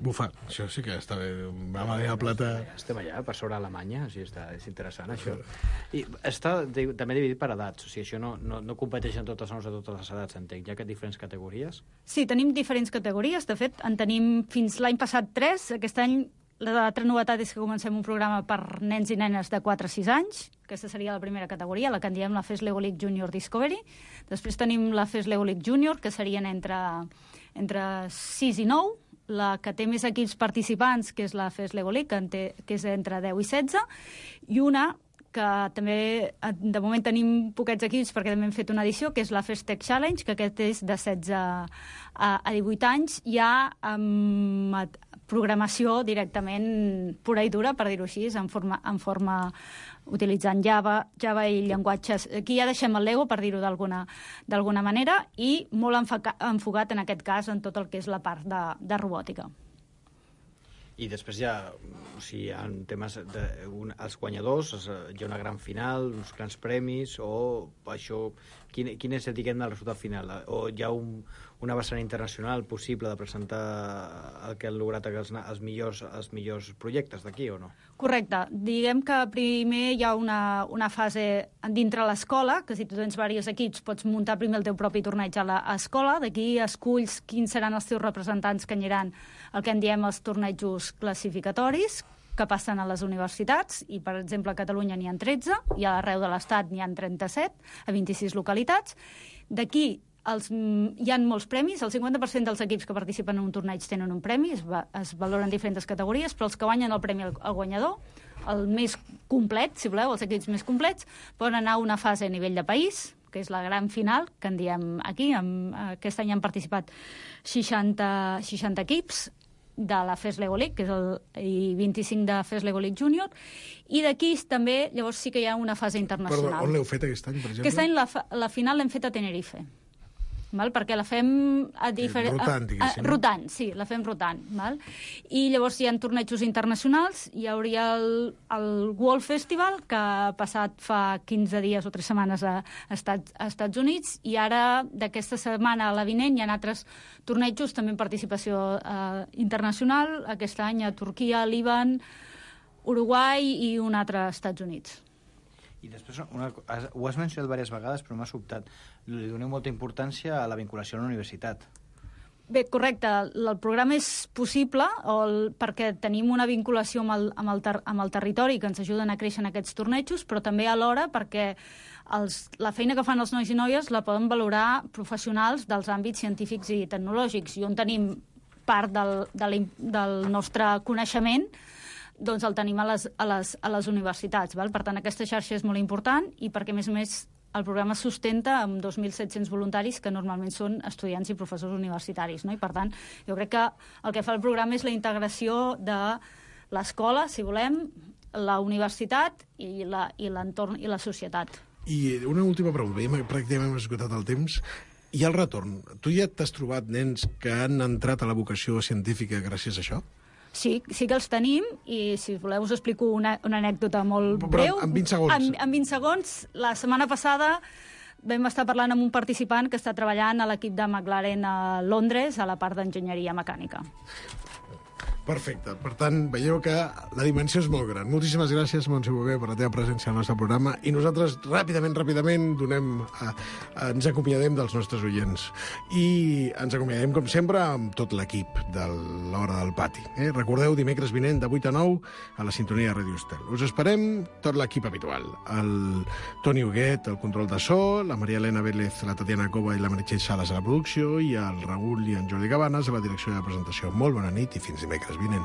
Bufa, això sí que està bé. Va a la plata... Estem allà, per sobre Alemanya, o sigui, està, és interessant, això. I està de, també dividit per edats, o sigui, això no, no, no competeixen totes les a totes les edats, entenc. Hi ha diferents categories? Sí, tenim diferents categories. De fet, en tenim fins l'any passat tres. Aquest any l'altra novetat és que comencem un programa per nens i nenes de quatre a sis anys. Aquesta seria la primera categoria, la que en diem la FES Lego League Junior Discovery. Després tenim la FES Lego League Junior, que serien entre, entre sis i nou. La que té més equips participants, que és la FES Lego League, que, té, que és entre deu i setze, i una que també, de moment tenim poquets equips perquè també hem fet una edició, que és la FES Tech Challenge, que aquest és de setze a divuit anys, ja amb programació directament pura i dura, per dir-ho així, en forma, en forma utilitzant Java, Java i llenguatges. Aquí ja deixem el Lego, per dir-ho d'alguna d'alguna manera, i molt enfoca, enfocat en aquest cas en tot el que és la part de, de robòtica. I després hi ha, o sigui, hi ha temes de, un, els guanyadors, hi ha una gran final, uns grans premis, o això, quin, quin és, diguem, el resultat final? O hi ha un, una vessant internacional possible de presentar el que han lograt els, els, millors, els millors projectes d'aquí, o no? Correcte. Diguem que primer hi ha una, una fase dintre l'escola, que si tu tens diversos equips pots muntar primer el teu propi torneig a l'escola, d'aquí esculls quins seran els teus representants que aniran el que en diem els tornejos classificatoris, que passen a les universitats, i per exemple a Catalunya n'hi ha tretze, i a l'arreu de l'Estat n'hi ha trenta-set, a vint-i-sis localitats. D'aquí els, hi ha molts premis, el cinquanta per cent dels equips que participen en un torneig tenen un premi, es, va, es valoren diferents categories, però els que guanyen el premi al, al guanyador, el més complet, si voleu, els equips més complets, poden anar a una fase a nivell de país, que és la gran final, que en diem aquí. Amb, aquest any han participat seixanta, seixanta equips de la FES Lego League, que és el, i vint-i-cinc de FES Lego League Junior, i d'aquí també, llavors sí que hi ha una fase internacional. Perdó, on l'heu fet aquest any, per exemple? Aquest any la, la final l'hem fet a Tenerife. Val? Perquè la fem a diferent... Rotant, diguéssim. Rotant, sí, la fem rotant. Val? I llavors hi ha tornejos internacionals, hi hauria el, el World Festival, que ha passat fa quinze dies o tres setmanes a, a, Estats, a Estats Units, i ara, d'aquesta setmana a la vinent, hi ha altres tornejos, també en participació eh, internacional, aquest any a Turquia, Líban, Uruguai i un altre als Estats Units. I després, una, ho has mencionat diverses vegades, però m'ha sobtat. Li doneu molta importància a la vinculació a la universitat. Bé, correcte. El programa és possible o el, perquè tenim una vinculació amb el, amb, el ter, amb el territori que ens ajuden a créixer en aquests tornejos, però també alhora perquè els, la feina que fan els nois i noies la poden valorar professionals dels àmbits científics i tecnològics, i on tenim part del, de del nostre coneixement, doncs el tenim a les, a les, a les universitats. Val? Per tant, aquesta xarxa és molt important, i perquè, a més a més, el programa es sustenta amb dos mil set-cents voluntaris que normalment són estudiants i professors universitaris, no? I per tant, jo crec que el que fa el programa és la integració de l'escola, si volem, la universitat i la, i l'entorn i la societat. I una última pregunta, ja pràcticament hem esgotat el temps. I el retorn? Tu ja t'has trobat nens que han entrat a la vocació científica gràcies a això? Sí, sí que els tenim, i si voleu us explico una, una anècdota molt Però breu. en vint segons. En, en vint segons. La setmana passada vam estar parlant amb un participant que està treballant a l'equip de McLaren a Londres, a la part d'enginyeria mecànica. Perfecte. Per tant, veieu que la dimensió és molt gran. Moltíssimes gràcies, Montse Bové, per la teva presència al nostre programa. I nosaltres, ràpidament, ràpidament, donem, a, a, ens acomiadem dels nostres oients. I ens acomiadem, com sempre, amb tot l'equip de l'Hora del Pati. Eh? Recordeu, dimecres vinent, de vuit a nou, a la sintonia de Ràdio Estel. Us esperem tot l'equip habitual. El Toni Huguet, el control de so, la Maria Elena Vélez, la Tatiana Cova i la Meritxell Sales a la producció, i el Raül i en Jordi Cabanes a la direcció de la presentació. Molt bona nit i fins dimecres vinent.